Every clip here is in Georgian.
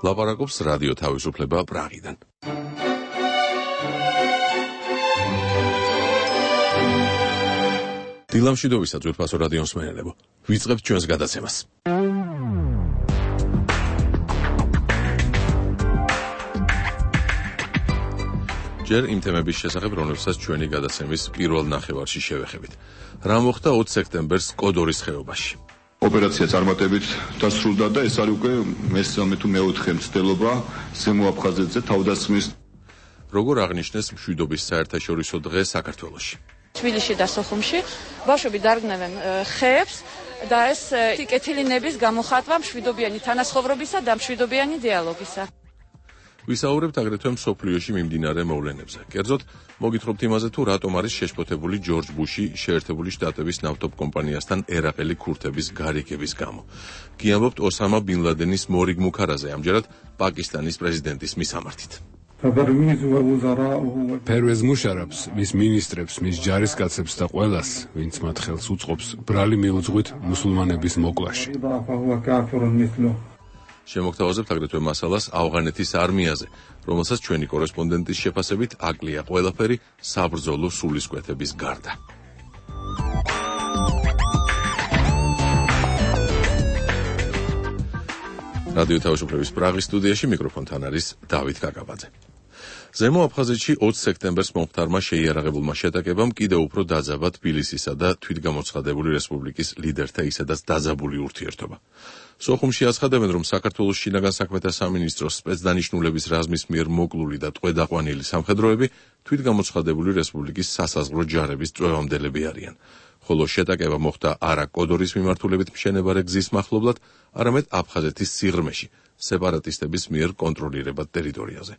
ლაპარაკობს რადიო თავისუფლება პრაღიდან. დილამშვიდობისა ძვირფასო რადიო მსმენელებო. ვიწყებთ ჩვენს გადაცემას. ჯერ იმ თემების შესახებ, რომლებსაც ჩვენი გადაცემის პირველ ნახევარში შევეხებით. რა მოხდა 20 სექტემბერს კოდორის ხეობაში? ოპერაცია წარმატებით დასრულდა და ეს არის უკვე მესამე თუ მეოთხე მცდელობა ზემო აფხაზეთზე თავდასხმის. როგორ აღნიშნეს მშვიდობის საერთაშორისო დღე საქართველოში? თბილისში და სოხუმში ბავშვები დარგნევენ ხეებს და ეს კეთილინების გამოხატვა მშვიდობიანი თანასხოვრობისა და მშვიდობიანი დიალოგისა. ვისაუბრებთ აგრეთვე მსოფლიოში მიმდინარე მოვლენებზე. კერძოდ, მოგითხრობთ იმაზე, თუ რატომ არის შეშფოთებული ჯორჯ ბუში შეერთებული შტატების ნავთობ კომპანიასთან ერაყელი ქურთების გარიგების გამო. გიამბობთ ოსამა ბინ ლადენის მორიგ მუქარაზე, ამჯერად პაკისტანის პრეზიდენტის მისამართით. ფერვეზ მუშარაფს, მის მინისტრებს, მის ჯარისკაცებს და ყველას, ვინც მათ ხელს უწყობს ბრალი მიუძღვით მუსულმანების მოკლაში. შემოგთავაზებთ აგრეთვე მასალას ავღანეთის არმიაზე, რომელსაც ჩვენი კორესპონდენტის შეფასებით აკლია ყველაფერი საბრძოლო სულისკვეთების გარდა. რადიო თავისუფლების პრაღის სტუდიაში მიკროფონთან არის დავით კაკაბაძე. ზემო აფხაზეთში 20 სექტემბერს მომხდარმა შეიარაღებულმა შეტაკებამ კიდევ უფრო დაძაბა თბილისისა და თვითგამოცხადებული რესპუბლიკის ლიდერთა ისედაც დაძაბული ურთიერთობა. სოხუმში აცხადებენ, რომ საქართველოს შინაგან საქმეთა სამინისტროს სპეცდანიშნულების რაზმის მიერ მოკლული და ტყვედ-აყვანილი სამხედროები თვითგამოცხადებული რესპუბლიკის სასაზღვრო ჯარების წვევამდელები არიან. ხოლო შეტაკება მოხდა არა კოდორის მიმართულებით მშენებარე გზის მახლობლად, არამედ აფხაზეთის სიღრმეში, სეპარატისტების მიერ კონტროლირებად ტერიტორიაზე.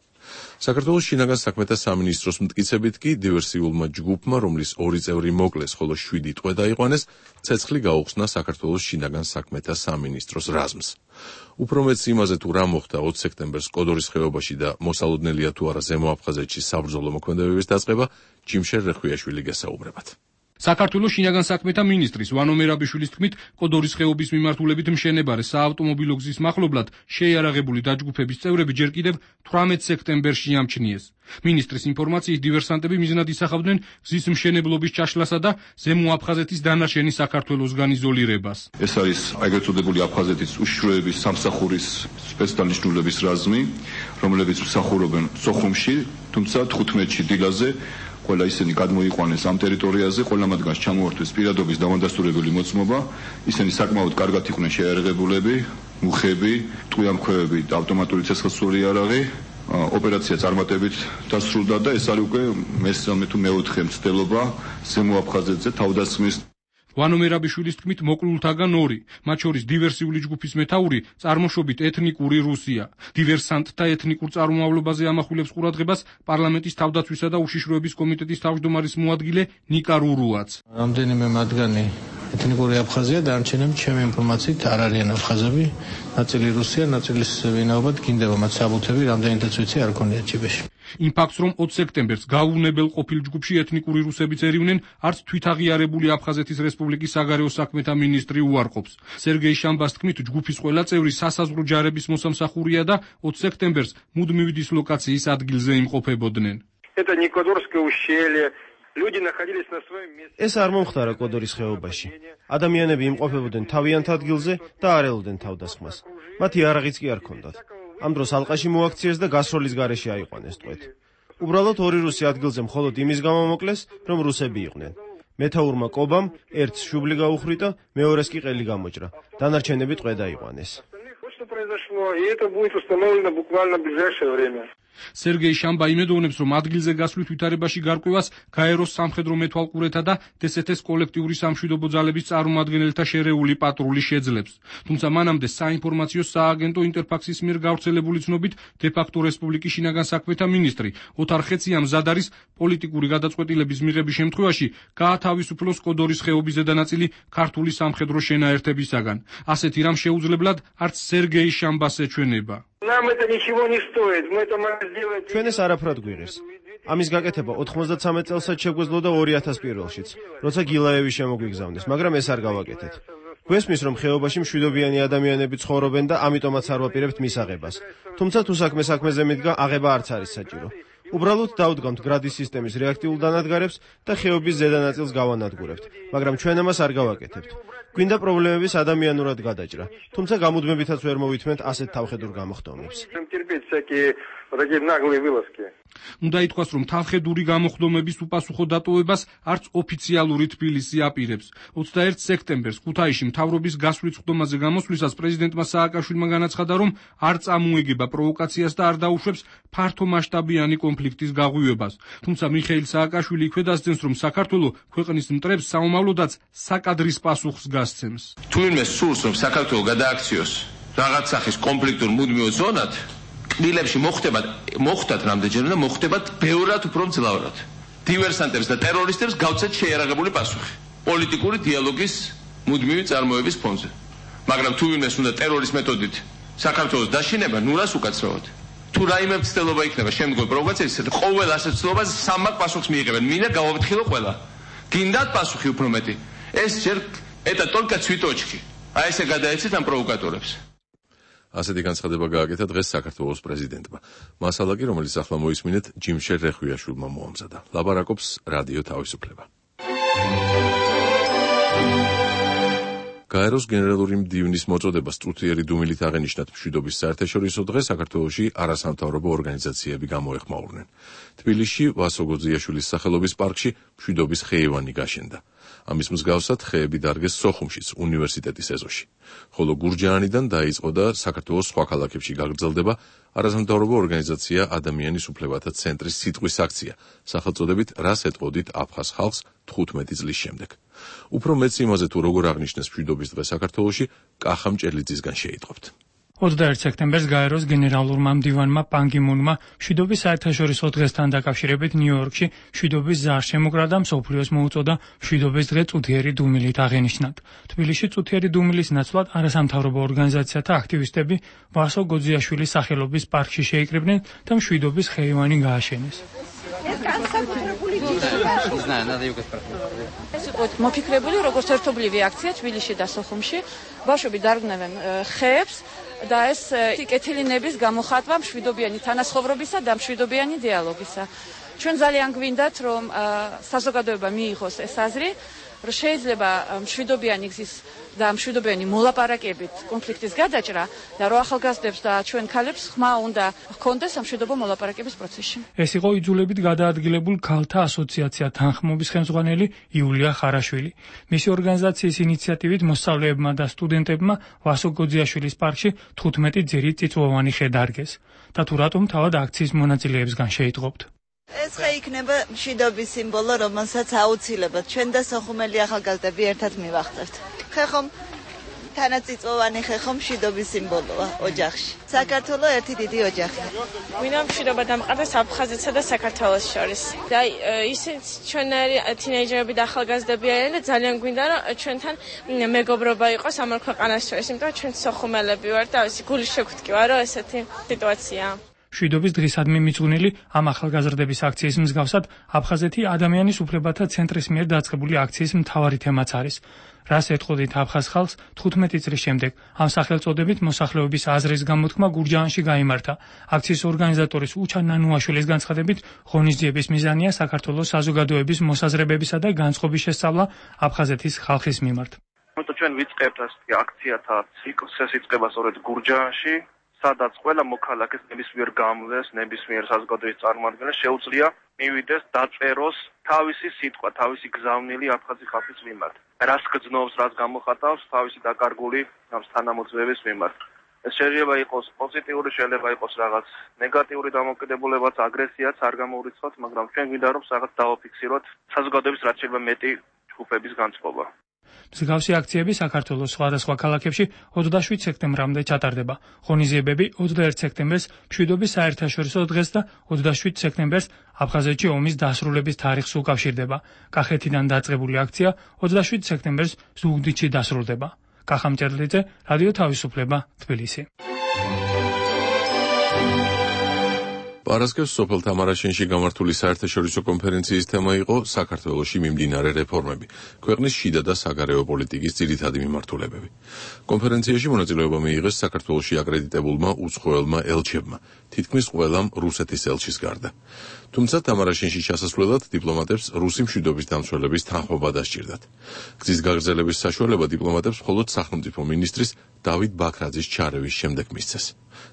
საქართველოს შინაგან საქმეთა სამინისტროს მტკიცებით კი დივერსიულმა ჯგუფმა, რომლის 2 წევრი მოკლეს, ხოლო 7 ტყვედ აიყვანეს, ცეცხლი გაუხსნა საქართველოს შინაგან საქმეთა სამინისტროს რაზმს. უფრო მეც იმაზე, თუ რა მოხდა 20 სექტემბერს კოდორის ხეობაში და მოსალოდნელია თუ არა ზემო აფხაზეთში საბრძოლო მოქმედებების დაწყება, ჯიმშერ რეხვიაშვილი გესაუბრებათ. საქართველოს შინაგან საქმეთა მინისტრის ვანო მერაბიშვილის თქმით, კოდორის ხეობის მიმართულებით მშენებარე საავტომობილო გზის მახლობლად შეიარაღებული დაჯგუფების წევრები ჯერ კიდევ 18 სექტემბერში ამჩნიეს. მინისტრის ინფორმაციით, დივერსანტები მიზნად ისახავდნენ გზის მშენებლობის ჩაშლასა და ზემო აფხაზეთის დანარჩენი საქართველოსგან იზოლირებას. ეს არის ეგრეთ წოდებული აფხაზეთის უშიშროების სამსახურის სპეცდანიშნულების რაზმი, რომლებიც მსახურობენ სოხუმში, თუმცა 15-ში დილაზე ყველა ისინი გადმოიყვანეს ამ ტერიტორიაზე, ყველა მათგანს ჩამოართვეს პირადობის დამადასტურებელი მოწმობა. ისინი საკმაოდ კარგად იყვნენ შეიარაღებულები, მუხები, ტყვიამქვევები და ავტომატური ცეცხლსრული იარაღი. ოპერაცია წარმატებით დასრულდა და ეს არის უკვე მესამე თუ მეოთხე მცდელობა ზემო აფხაზეთზე თავდასხმის. ვანო მერაბიშვილის თქმით, მოკლულთაგან 2, მათ შორის დივერსიული ჯგუფის მეთაური წარმოშობით ეთნიკური რუსია. დივერსანტთა ეთნიკურ წარმომავლობაზე ამახვილებს ყურადღებას პარლამენტის თავდაცვისა და უშიშროების კომიტეტის თავმჯდომარის მოადგილე ნიკა რურუაც. რამდენიმე მათგანი ეთნიკური აფხაზია, დანარჩენები ჩემი ინფორმაციით არ არიან აფხაზები, ნაწილი რუსია, ნაწილის ვინაობად გინდება მათ საბუთები, რამდენადაც ვიცი არ ქონია ჯიბეში. იმ ფაქტს, რომ 20 სექტემბერს გაუვნებელ ყოფილ ჯგუფში ეთნიკური რუსებიც ერივნენ, არც თვითაღიარებული აფხაზეთის რესპუბლიკის საგარეო საქმეთა მინისტრი უარყოფს. სერგეი შამბას თქმით, ჯგუფის ყველა წევრი სასაზღვრო ჯარების მოსამსახურია და 20 სექტემბერს მუდმივი დისლოკაციის ადგილზე იმყოფებოდნენ. ეს არ მომხდარა კოდორის ხეობაში. ადამიანები იმყოფებოდნენ თავიანთ ადგილზე და არ ელოდნენ თავდასხმას. მათი იარაღიც კი არ ჰქონდათ. ამ დროს ალყაში მოაქციეს და გასროლის გარეშე აიყვანეს ტყვედ. უბრალოდ 2 რუსი ადგილზე მხოლოდ იმის გამო მოკლეს, რომ რუსები იყვნენ. მეთაურმა კობამ ერთს შუბლი გაუხრიტა, მეორეს კი ყელი გამოჭრა. დანარჩენები ტყვედ აიყვანეს. სერგეი შამბა იმედოვნებს, რომ ადგილზე გასვლით ვითარებაში გარკვევას გაეროს სამხედრო მეთვალყურეთა და დსთ-ს კოლექტიური სამშვიდობო ძალების წარმომადგენელთა შერეული პატრული შეძლებს. თუმცა მანამდე საინფორმაციო სააგენტო ინტერფაქსის მიერ გავრცელებული ცნობით, დე-ფაქტო რესპუბლიკის შინაგან საქმეთა მინისტრი ოთარ ხეცია მზად არის პოლიტიკური გადაწყვეტილების მიღების შემთხვევაში გაათავისუფლოს კოდორის ხეობის ზედანაწილი ქართული სამხედრო შენაერთებისაგან. ასეთი რამ შეუძლებლად არც სერგეი შამბას ეჩვენება. ჩვენ ეს არაფრად გვიღებს. ამის გაკეთება 93 წელსაც შეგვეძლო და 2001-ში, როცა გილაევი შემოგვიგზავნეს, მაგრამ ეს არ გავაკეთეთ. გვესმის, რომ ხეობაში მშვიდობიანი ადამიანები ცხოვრობენ და ამიტომაც არ ვაპირებთ მის აღებას. თუმცა თუ საქმეზე მიდგა, აღება არც არის საჭირო. უბრალოდ დავდგამთ გრადის სისტემის რეაქტიულ დანადგარებს და ხეობის ზედა ნაწილს გავანადგურებთ, მაგრამ ჩვენ ამას არ გავაკეთებთ. გვინდა პრობლემების ადამიანურად გადაჭრა, თუმცა გამუდმებითაც ვერ მოვითმენთ ასეთ თავხედურ გამოხდომებს. უნდა ითქვას, რომ თავხედური გამოხდომების უპასუხო დატოვებას არც ოფიციალური თბილისი აპირებს. 21 სექტემბერს ქუთაისში მთავრობის გასვლის ხდომაზე გამოსვლისას პრეზიდენტმა სააკაშვილმა განაცხადა, რომ არ წამოეგება პროვოკაციას და არ დაუშვებს ფართომასშტაბიანი კონფლიქტის გაღვივებას. თუმცა მიხეილ სააკაშვილი იქვე დასძენს, რომ საქართველო ქვეყნის მტრებს საომავლოდაც საკადრის პასუხს გასცემს. თუ ვინმე სურს, რომ საქართველო გადააქციოს რაღაც სახის კონფლიქტურ მუდმივ ზონად, კბილებში მოხდათ რამდენჯერმე და მოხდებათ ბევრად უფრო მძლავრად. დივერსანტებს და ტერორისტებს გავცეთ შეიარაღებული პასუხი პოლიტიკური დიალოგის მუდმივი წარმოების ფონზე. მაგრამ თუ ვინმეს უნდა ტერორის მეთოდით საქართველოს დაშინება, ნურას უკაცრავად. თუ რაიმე მცდელობა იქნება შემდგომ პროვოკაციისას, ყოველ ასეთ ცდილობას სამმაგი პასუხს მიიღებენ. მინდა გავაფრთხილო ყველა. გინდათ პასუხი უფრო მეტი. ეს ჯერ eta только цветочки. აი ესე გადაეცეთ ამ პროვოკატორებს. ასეთი განცხადება გააკეთა დღეს საქართველოს პრეზიდენტმა. მასალაკი, რომელიც ახლა მოისმინეთ, ჯიმშერ რეხვიაშვილმა მოამზადა. ლაბარაკობს რადიო თავისუფლება. გაეროს გენერალური მდივნის მოწოდებას წუთიერი დუმილით აღენიშნათ მშვიდობის საერთაშორისო დღე საქართველოში არასამთავრობო ორგანიზაციები გამოეხმაურნენ. თბილისში ვასო გოძიაშვილის სახელობის პარკში მშვიდობის ხეივანი გაშენდა. ამის მსგავსად ხეები დარგეს სოხუმშიც, უნივერსიტეტის ეზოში. ხოლო გურჯაანიდან დაიწყო და საქართველოს სხვა ქალაქებში გაგრძელდება არასამთავრობო ორგანიზაცია ადამიანის უფლებათა ცენტრის სიტყვის აქცია, სახელწოდებით რას ეტყოდით აფხაზ ხალხს 15 წლის შემდეგ. უფრო მეც იმაზე თუ როგორ აღნიშნეს მშვიდობის დღე საქართველოში, კახა მჭელიძისგან შეიტყობთ. 21 სექტემბერს გაეროს გენერალურმა მდივანმა პან კი მუნმა მშვიდობის საერთაშორისო დღესთან დაკავშირებით ნიუ-იორკში მშვიდობის ზარს შემოკრა და მსოფლიოს მოუწოდა მშვიდობის დღე წუთიერი დუმილით აღენიშნათ. თბილისში წუთიერი დუმილის ნაცვლად არასამთავრობო ორგანიზაციათა აქტივისტები ვასო გოძიაშვილის სახელობის პარკში შეიკრიბნენ და მშვიდობის ხეივანი გააშენეს. ეს იყო მოფიქრებული როგორც ერთობლივი აქცია თბილისში და სოხუმში. ბავშვები დარგნევენ ხეებს და ეს კეთილი ნების გამოხატვა მშვიდობიანი თანაცხოვრებისა და მშვიდობიანი დიალოგისა. ჩვენ ძალიან გვინდათ, რომ საზოგადოება მიიღოს ეს აზრი, რომ შეიძლება მშვიდობიანი გზის და მშვიდობიანი მოლაპარაკებით კონფლიქტის გადაჭრა და რომ ახალგაზრდებს და ჩვენ ქალებს ხმა უნდა ჰქონდეს სამშვიდობო მოლაპარაკების პროცესში. ეს იყო იძულებით გადაადგილებულ ქალთა ასოციაცია თანხმობის ხელმძღვანელი იულია ხარაშვილი. მისი ორგანიზაციის ინიციატივით მოსწავლეებმა და სტუდენტებმა ვასო გოძიაშვილის პარკში 15 ძირი წიწვოვანი ხე დარგეს. და თუ რატომ თავად აქციის მონაწილეებსგან შეიტყობთ. ეს ხე იქნება მშვიდობის სიმბოლო, რომელსაც აუცილებლად ჩვენ და სოხუმელი ახალგაზრდები ერთად მივახწერთ. ხე ხომ თანაწიწვოვანი ხე ხომ მშვიდობის სიმბოლოა ოჯახში. საქართველოს ერთი დიდი ოჯახია. ვინმე მშვიდობა დამყარდეს აფხაზეთსა და საქართველოს შორის. და ისიც ჩვენერი თინეიჯერები და ახალგაზრდები არიან და ძალიან გვინდა რომ ჩვენთან მეგობრობა იყოს ამ ორ ქვეყანას შორის, იმიტომ რომ ჩვენ სოხუმელები ვართ და ისე გული შეგვთქი ვარო ესეთი სიტუაციაა. მშვიდობის დღისადმი მიძღვნილი ამ ახალგაზრდების აქციის მსგავსად აფხაზეთი ადამიანის უფლებათა ცენტრის მიერ დაწყებული აქციის მთავარი თემაც არის. რას ეტყოდით აფხაზ ხალხს 15 წლის შემდეგ ამ სახელწოდებით მოსახლეობის აზრის გამოთქმა გურჯაანში გაიმართა. აქციის ორგანიზატორის უჩა ნანუაშვილის განცხადებით ღონისძიების მიზანია საქართველოს საზოგადოების მოსაზრებებისა და განწყობის შესწავლა აფხაზეთის ხალხის მიმართ. ჩვენ ვიწყებთ ასეთი აქციათა ციკლს, ეს იწყება სწორედ გურჯაანში, სადაც ყველა მოქალაქეს ნებისმიერ გამლეს, ნებისმიერ საზოგადოების წარმოადგენელს შეუძლია მივიდეს დაწეროს თავისი სიტყვა, თავისი გზავნილი აფხაზი ხალხის მიმართ. რას გძნობს, რას გამოხატავს თავისი დაკარგული ამ თანამოძღვრების მიმართ. ეს შეიძლება იყოს პოზიტიური, შეიძლება იყოს რაღაც ნეგატიური დამოკიდებულებაც, აგრესიაც არ გამოურიცხავთ, მაგრამ ჩვენ გვინდა რომ რაღაც დავაფიქსიროთ საზოგადოების რაც შეიძლება მეტი ჯგუფების განწყობა. მსგავსი აქციები საქართველოს სხვადასხვა ქალაქებში 27 სექტემბრამდე ჩატარდება. ღონისძიებები 21 სექტემბერს მშვიდობის საერთაშორისო დღეს და 27 სექტემბერს აფხაზეთში ომის დასრულების თარიღს უკავშირდება. კახეთიდან დაწყებული აქცია 27 სექტემბერს ზუგდიდში დასრულდება. კახა მჭელიძე, რადიო თავისუფლება, თბილისი. პარასკევს სოფელ თამარაშენში გამართული საერთაშორისო კონფერენციის თემა იყო საქართველოში მიმდინარე რეფორმები, ქვეყნის შიდა და საგარეო პოლიტიკის ძირითადი მიმართულებები. კონფერენციაში მონაწილეობა მიიღეს საქართველოში აკრედიტებულმა უცხოელმა ელჩებმა, თითქმის ყველამ რუსეთის ელჩის გარდა. თუმცა თამარაშენში ჩასასვლელად დიპლომატებს რუსი მშვიდობის დამცველების თანხმობა დასჭირდათ. გზის გაგრძელების საშუალება დიპლომატებს მხოლოდ სახელმწიფო მინისტრის დავით ბაქრაძის ჩარევის შემდეგ მისცეს.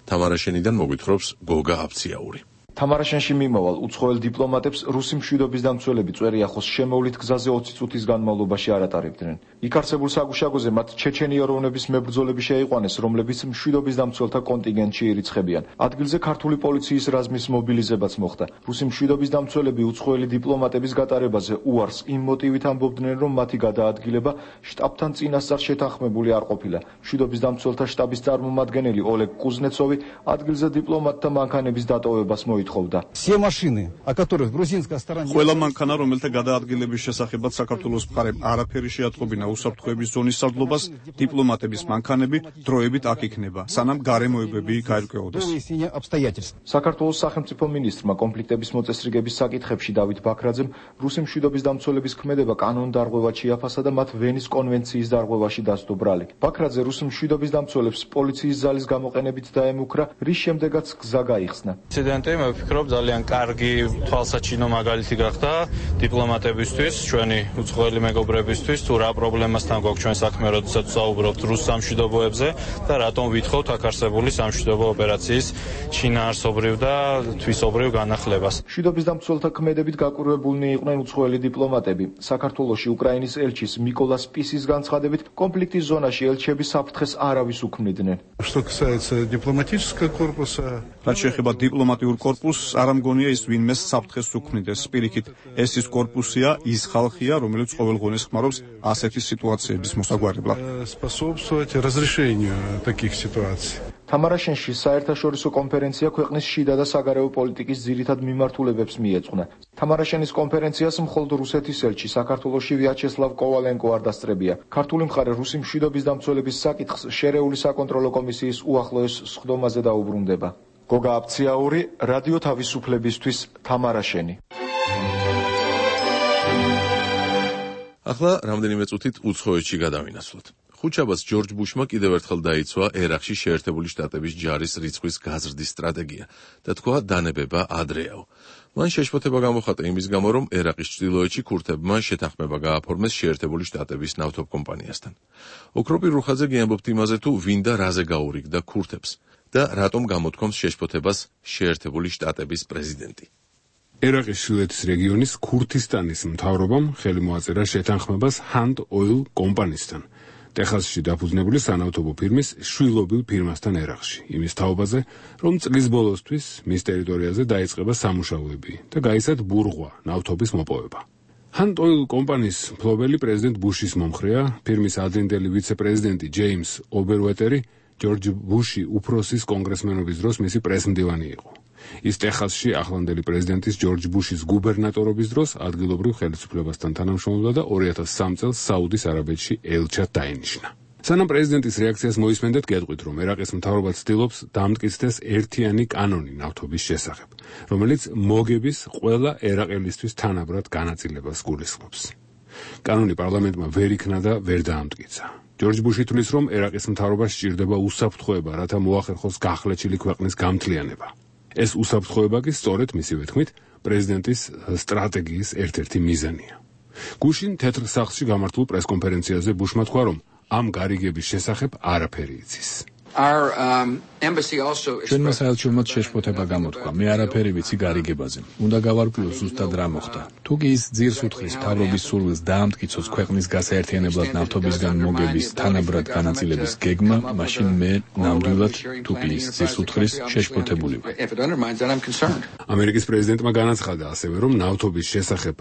თამარაშენიდან მოგვითხრობს გოგა აფციაური. თამარაშენში მიმავალ უცხოელ დიპლომატებს რუსი მშვიდობის დამცველები წვერიახოს შემოვლით გზაზე 20 წუთის განმავლობაში არ ატარებდნენ. იქ არსებულ საგუშაგოზე მათ ჩეჩენი ეროვნების მებრძოლები შეიყვანეს, რომლებიც მშვიდობის დამცველთა კონტინგენტში ირიცხებიან. ადგილზე ქართული პოლიციის რაზმის მობილიზებაც მოხდა. რუსი მშვიდობის დამცველები უცხოელი დიპლომატების გატარებაზე უარს იმ მოტივით ამბობდნენ, რომ მათი გადაადგილება შტაბთან წინასწარ შეთანხმებული არ ყოფილა. მშვიდობის დამცველთა შტაბის წარმომადგენელი ოლეგ კუზნეცოვი ადგილზე დიპლომატთა მანქანების დატოვებას ყველა მანქანა, რომელთა გადაადგილების შესახებაც საქართველოს მხარემ არაფერი შეატყობინა უსაფრთხოების ზონის სარდლობას, დიპლომატების მანქანები დროებით აქ იქნება, სანამ გარემოებები იქ აირკვეოდეს. საქართველოს სახელმწიფო მინისტრმა კონფლიქტების მოწესრიგების საკითხებში დავით ბაქრაძემ რუსი მშვიდობის დამცველების ქმედება კანონდარღვევად შეაფასა და მათ ვენის კონვენციის დარღვევაში დასდო ბრალი. ბაქრაძე რუსი მშვიდობის დამცველებს პოლიციის ძალის გამოყენებით დაემუქრა, რის შემდეგაც გზა გაიხსნა. ვფიქრობ ძალიან კარგი თვალსაჩინო მაგალითი გახდა დიპლომატებისთვის, ჩვენი უცხოელი მეგობრებისთვის, თუ რა პრობლემასთან გვაქვს ჩვენ საქმე, როდესაც ვსაუბრობთ რუს სამშვიდობოებზე და რატომ ვითხოვთ აქ არსებული სამშვიდობო ოპერაციის შინაარსობრივ და თვისობრივ განახლებას. მშვიდობის დამცველთა ქმედებით გაკვირვებულნი იყვნენ უცხოელი დიპლომატები. საქართველოში უკრაინის ელჩის მიკოლა სპისის განცხადებით, კონფლიქტის ზონაში ელჩები საფრთხეს არავის უქმნიდნენ. რაც შეეხება დიპლომატიურ კორპუსს, არ ამგონია ის ვინმეს საფრთხეს უქმნიდეს. პირიქით, ეს ის კორპუსია, ის ხალხია, რომელიც ყოველგვარს ხმარობს ასეთი სიტუაციების მოსაგვარებლად. თამარაშენში საერთაშორისო კონფერენცია ქვეყნის შიდა და საგარეო პოლიტიკის ძირითად მიმართულებებს მიეძღვნა. თამარაშენის კონფერენციას მხოლოდ რუსეთის ელჩი საქართველოში ვიაჩესლავ კოვალენკო არ დასწრებია. ქართული მხარე რუსი მშვიდობის დამცველების საკითხს შერეული საკონტროლო კომისიის უახლოეს სხდომაზე დაუბრუნდება. გოგა აფციაური, რადიო თავისუფლებისთვის, თამარაშენი. ახლა რამდენიმე წუთით უცხოეთში გადავინაცვლოთ. ხუთშაბათს ჯორჯ ბუშმა კიდევ ერთხელ დაიცვა ერაყში შეერთებული შტატების ჯარის რიცხვის გაზრდის სტრატეგია და თქვა დანებება ადრეაო. მან შეშფოთება გამოხატა იმის გამო, რომ ერაყის ჩრდილოეთში ქურთებმა შეთანხმება გააფორმეს შეერთებული შტატების ნავთობკომპანიასთან. ოქროპირ რუხაძე გიამბობთ იმაზე, თუ ვინ და რაზე გაურიგდა ქურთებს და რატომ გამოთქვამს შეშფოთებას შეერთებული შტატების პრეზიდენტი. ერაყის ჩრდილოეთის რეგიონის ქურთისტანის მთავრობამ ხელი მოაწერა შეთანხმებას Hand Oil კომპანიისთან, ტეხასში დაფუძნებული სანავთობო ფირმის შვილობილ ფირმასთან ერაყში, იმის თაობაზე, რომ წლის ბოლოსთვის მის ტერიტორიაზე დაიწყება სამუშაოები და გაიცათ ბურღვა, ნავთობის მოპოვება. Hand Oil კომპანიის მფლობელი პრეზიდენტ ბუშის მომხრეა, ფირმის ადრინდელი ვიცე-პრეზიდენტი ჯეიმს ობერუეტერი ჯორჯ ბუში უფროსის კონგრესმენობის დროს მისი პრესმდივანი იყო. ის ტეხასში ახლანდელი პრეზიდენტის ჯორჯ ბუშის გუბერნატორობის დროს ადგილობრივ ხელისუფლებასთან თანამშრომლობდა და 2003 წელს საუდის არაბეთში ელჩად დაინიშნა. სანამ პრეზიდენტის რეაქციას მოისმენდეთ, გეტყვით, რომ ერაყის მთავრობა ცდილობს დამტკიცდეს ერთიანი კანონი ნავთობის შესახებ, რომელიც მოგების ყველა ერაყელისთვის თანაბრად განაწილებას გულისხმობს. კანონი პარლამენტმა ვერ იქნა და ვერ დაამტკიცა. ჯორჯ ბუში თვლის, რომ ერაყის მთავრობას სჭირდება უსაფრთხოება, რათა მოახერხოს გახლეჩილი ქვეყნის გამთლიანება. ეს უსაფრთხოება კი სწორედ მისივე თქმით პრეზიდენტის სტრატეგიის ერთ-ერთი მიზანია. გუშინ თეთრ სახლში გამართულ პრესკონფერენციაზე ბუშმა თქვა, რომ ამ გარიგების შესახებ არაფერი იცის. ჩვენმა საელჩომაც შეშფოთება გამოთქვა. მე არაფერი ვიცი გარიგებაზე. უნდა გავარკვიო ზუსტად რა მოხდა. თუ კი ის ძირს უთხრის მთავრობის სურვილს დაამტკიცოს ქვეყნის გასაერთიანებლად ნავთობისგან მოგების თანაბრად განაწილების გეგმა, მაშინ მე ნამდვილად თუ კი ის ძირს უთხრის შეშფოთებული ვარ. ამერიკის პრეზიდენტმა განაცხადა ასევე, რომ ნავთობის შესახებ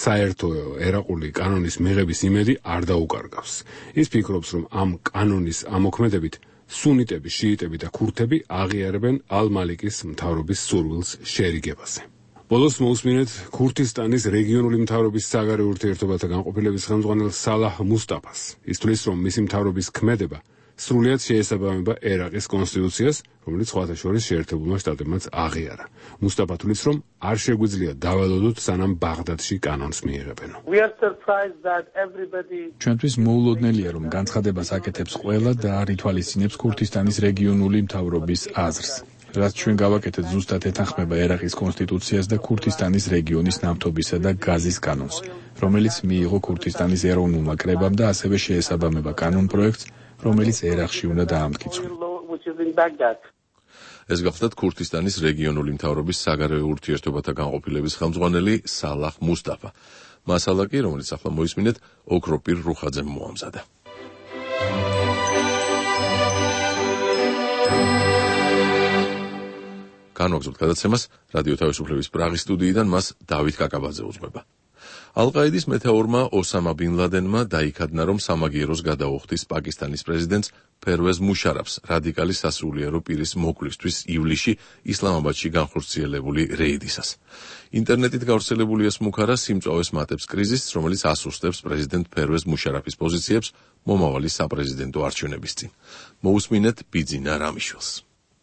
საერთო ერაყული კანონის მიღების იმედი არ დაუკარგავს. ის ფიქრობს, რომ ამ კანონის ამოქმედებით სუნიტები, შიიტები და ქურთები აღიარებენ ალ-მალიკის მთავრობის სურვილს შერიგებაზე. ბოლოს მოусმინეთ ქურთისტანის რეგიონული მთავრობის საგარეო ურთიერთობათა განყოფილების ხელმძღვანელ სალაჰ მუსტაფას. ის თვლის, რომ მისი მთავრობის ქმედება სრულიად შეესაბამება ერაყის კონსტიტუციას, რომელიც სხვათა შორის შეერთებულმა შტატებმაც აღიარა. მუსტაფა თვლის, რომ არ შეგვიძლია დავალოდოთ, სანამ ბაღდადში კანონს მიიღებენ. ჩვენთვის მოულოდნელია, რომ განცხადებას აკეთებს ყველა და არ ითვალისწინებს ქურთისტანის რეგიონული მთავრობის აზრს. რაც ჩვენ გავაკეთეთ, ზუსტად ეთანხმება ერაყის კონსტიტუციას და ქურთისტანის რეგიონის ნავთობისა და გაზის კანონს, რომელიც მიიღო ქურთისტანის ეროვნულმა კრებამ და ასევე შეესაბამება კანონპროექტს, რომელიც ერაყში უნდა დაამტკიცონ. ეს გახლდათ ქურთისტანის რეგიონული მთავრობის საგარეო ურთიერთობათა განყოფილების ხელმძღვანელი სალაჰ მუსტაფა. მასალა კი, რომელიც ახლა მოისმინეთ, ოქროპირ რუხაძემ მოამზადა. განვაგრძობთ გადაცემას რადიო თავისუფლების პრაღის სტუდიიდან, მას დავით კაკაბაძე უძღვება. ალ-ყაიდის მეთაურმა ოსამა ბინ ლადენმა დაიქადნა, რომ სამაგიეროს გადაუხდის პაკისტანის პრეზიდენტს ფერვეზ მუშარაფს რადიკალი სასულიერო პირის მოკლისთვის ივლისში ისლამაბადში განხორციელებული რეიდისას. ინტერნეტით გავრცელებული ეს მუქარა სიმწვავეს მატებს კრიზისს, რომელიც ასუსტებს პრეზიდენტ ფერვეზ მუშარაფის პოზიციებს მომავალი საპრეზიდენტო არჩევნების წინ. მოусმინეთ ბიძინა რამიშვილს.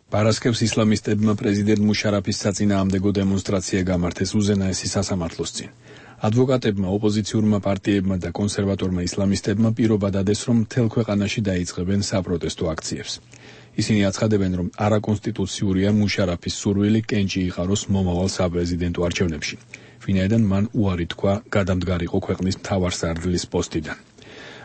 პარასკევს ისლამისტებმა პრეზიდენტ მუშარაფის საწინააღმდეგო დემონსტრაცია გამართეს უზენაესი სასამართლოს წინ. ადვოკატებმა, ოპოზიციურმა პარტიებმა და კონსერვატორმა ისლამისტებმა პირობა დადეს, რომ მთელ ქვეყანაში დაიწყებენ საპროტესტო აქციებს. ისინი აცხადებენ, რომ არაკონსტიტუციურია მუშარაფის სურვილი კენჭი იყაროს მომავალ საპრეზიდენტო არჩევნებში, ვინაიდან მან უარი თქვა გადამდგარიყო ქვეყნის მთავარსარდლის პოსტიდან.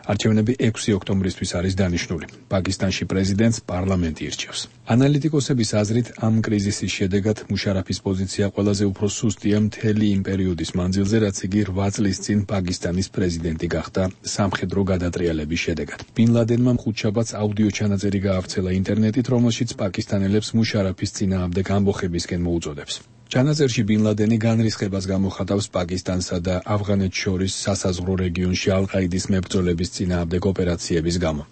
არჩევნები 6 ოქტომბრისთვის არის დანიშნული. პაკისტანში პრეზიდენტს პარლამენტი ირჩევს. ანალიტიკოსების აზრით, ამ კრიზისის შედეგად მუშარაფის პოზიცია ყველაზე უფრო სუსტია მთელი იმ პერიოდის მანძილზე, რაც იგი 8 წლის წინ პაკისტანის პრეზიდენტი გახდა სამხედრო გადატრიალების შედეგად. ბინ ლადენმა ხუთშაბათს აუდიო ჩანაწერი გაავრცელა ინტერნეტით, რომელშიც პაკისტანელებს მუშარაფის წინააღმდეგ ამბოხებისკენ მოუწოდებს. ჩანაწერში ბინ ლადენი განრისხებას გამოხატავს პაკისტანსა და ავღანეთს შორის სასაზღვრო რეგიონში ალ-ყაიდის მებრძოლების წინააღმდეგ ოპერაციების გამო.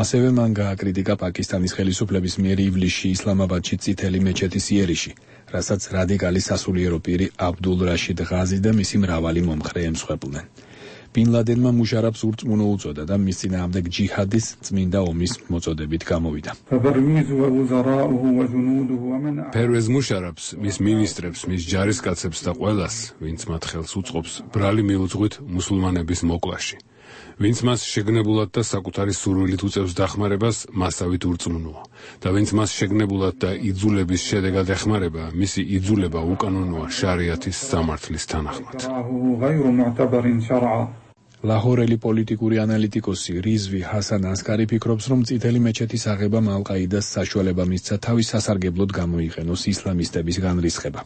ასევე მან გააკრიტიკა პაკისტანის ხელისუფლების მიერ ივლისში ისლამაბადში წითელი მეჩეთის იერიში, რასაც რადიკალი სასულიერო პირი აბდულ რაშიდ ღაზი და მისი მრავალი მომხრე ემსხვერპლნენ. ბინ ლადენმა მუშარაფს ურწმუნო უწოდა და მის წინააღმდეგ ჯიჰადის წმინდა ომის მოწოდებით გამოვიდა. ფერვეზ მუშარაფს, მის მინისტრებს, მის ჯარისკაცებს და ყველას, ვინც მათ ხელს უწყობს, ბრალი მიუძღვით მუსულმანების მოკლაში. ვინც მას შეგნებულად და საკუთარი სურვილით უწევს დახმარებას, მასავით ურწმუნოა. და ვინც მას შეგნებულად და იძულების შედეგად ეხმარება, მისი იძულება უკანონოა შარიათის სამართლის თანახმად. ლაჰორელი პოლიტიკური ანალიტიკოსი რიზვი ჰასან ასკარი ფიქრობს, რომ წითელი მეჩეთის აღებამ ალ-ყაიდას საშუალება მისცა თავის სასარგებლოდ გამოიყენოს ისლამისტების განრისხება.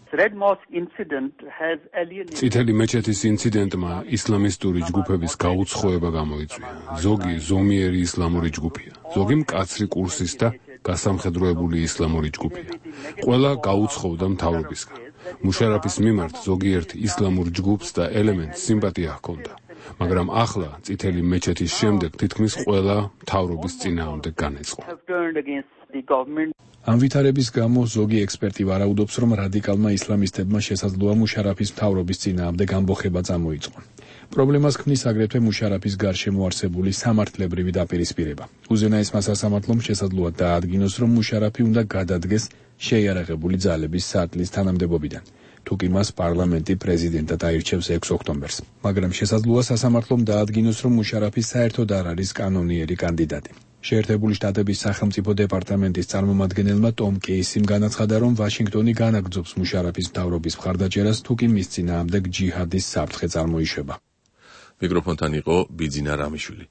წითელი მეჩეთის ინციდენტმა ისლამისტური ჯგუფების გაუცხოება გამოიწვია. ზოგი ზომიერი ისლამური ჯგუფია, ზოგი მკაცრი კურსის და გასამხედროებული ისლამური ჯგუფია. ყველა გაუცხოვდა მთავრობისგან. მუშარაფის მიმართ ზოგიერთ ისლამურ ჯგუფს და ელემენტს სიმპათია ჰქონდა. მაგრამ ახლა წითელი მეჩეთის შემდეგ თითქმის ყველა მთავრობის წინააღმდეგ განეწყო. ამ ვითარების გამო ზოგი ექსპერტი ვარაუდობს, რომ რადიკალმა ისლამისტებმა შესაძლოა მუშარაფის მთავრობის წინააღმდეგ ამბოხება წამოიწყონ. პრობლემას ქმნის აგრეთვე მუშარაფის გარშემო არსებული სამართლებრივი დაპირისპირება. უზენაესმა სასამართლომ შესაძლოა დაადგინოს, რომ მუშარაფი უნდა გადადგეს შეიარაღებული ძალების სარდლის თანამდებობიდან, თუკი მას პარლამენტი პრეზიდენტად აირჩევს 6 ოქტომბერს. მაგრამ შესაძლოა სასამართლომ დაადგინოს, რომ მუშარაფი საერთოდ არ არის კანონიერი კანდიდატი. შეერთებული შტატების სახელმწიფო დეპარტამენტის წარმომადგენელმა ტომ კეისიმ განაცხადა, რომ ვაშინგტონი განაგრძობს მუშარაფის მთავრობის მხარდაჭერას, თუკი მის წინააღმდეგ ჯიჰადის საფრთხე წარმოიშვება. მიკროფონთან იყო ბიძინა რამიშვილი.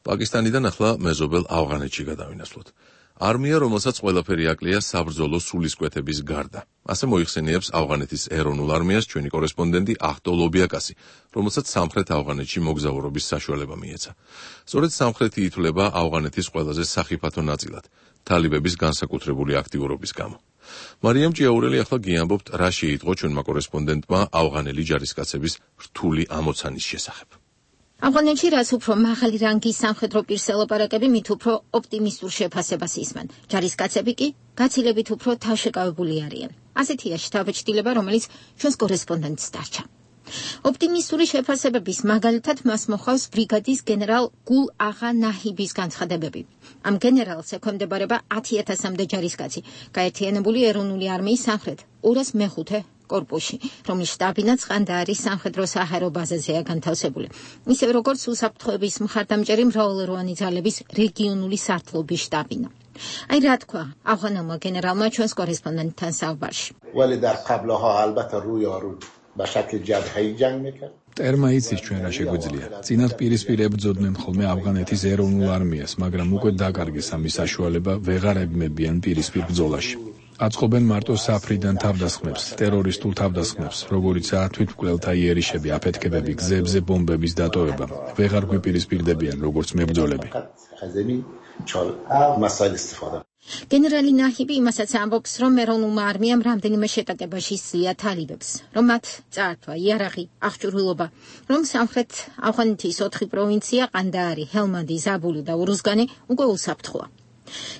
პაკისტანიდან ახლა მეზობელ ავღანეთში გადავინაცვლოთ. არმია, რომელსაც ყველაფერი აკლია საბრძოლო სულისკვეთების გარდა. ასე მოიხსენიებს ავღანეთის ეროვნულ არმიას ჩვენი კორესპონდენტი ახტო ლობიაკასი, რომელსაც სამხრეთ ავღანეთში მოგზაურობის საშუალება მიეცა. სწორედ სამხრეთი ითვლება ავღანეთის ყველაზე სახიფათო ნაწილად, თალიბების განსაკუთრებული აქტიურობის გამო. მარიამ ჭიაურელი ახლა გიამბობთ, რა შეიტყო ჩვენმა კორესპონდენტმა ავღანელი ჯარისკაცების რთული ამოცანის შესახებ. ავღანეთში რაც უფრო მაღალი რანგის სამხედრო პირს ელაპარაკები, მით უფრო ოპტიმისტურ შეფასებას ისმენ. ჯარისკაცები კი გაცილებით უფრო თავშეკავებული არიან. ასეთია შთაბეჭდილება, რომელიც ჩვენს კორესპონდენტს დარჩა. ოპტიმისტური შეფასებების მაგალითად მას მოხავს ბრიგადის გენერალ გულ აღა ნაჰიბის განცხადებები. ამ გენერალს ექვემდებარება 10,000-მდე ჯარისკაცი, გაერთიანებული ეროვნული არმიის სამხრეთ 205 კორპუსში, რომლის შტაბინაც ყანდაარის სამხედრო საჰაერო ბაზაზეა განთავსებული. ისევე როგორც უსაფრთხოების მხარდამჭერი მრავალეროვანი ძალების რეგიონული სარდლობის შტაბინა. აი რა თქვა ავღანელმა გენერალმა ჩვენს კორესპონდენტთან საუბარში. ولی در قبلها البته روی آرو به شکل جبهه‌ای جنگ میکرد. ტერმა იცის ჩვენ რა შეგვიძლია. წინათ პირისპირ ებრძოდნენ ხოლმე ავღანეთის ეროვნულ არმიას, მაგრამ უკვე დაკარგეს ამის საშუალება, ვეღარ ებმებიან პირისპირ ბრძოლაში. აწყობენ მარტო საფრიდან თავდასხმებს, ტერორისტულ თავდასხმებს, როგორიცაა თვითმკვლელთა იერიშები, აფეთქებები, გზებზე ბომბების დატოვება. ვეღარ გვიპირისპირდებიან როგორც მებრძოლები. გენერალი ნაჰიბი იმასაც ამბობს, რომ ეროვნულმა არმიამ რამდენიმე შეტაკებაში სძლია თალიბებს, რომ მათ წაართვა იარაღი, აღჭურვილობა, რომ სამხრეთ ავღანეთის 4 პროვინცია ყანდაარი, ჰელმანდი, ზაბული და ურუზგანი უკვე უსაფრთხოა.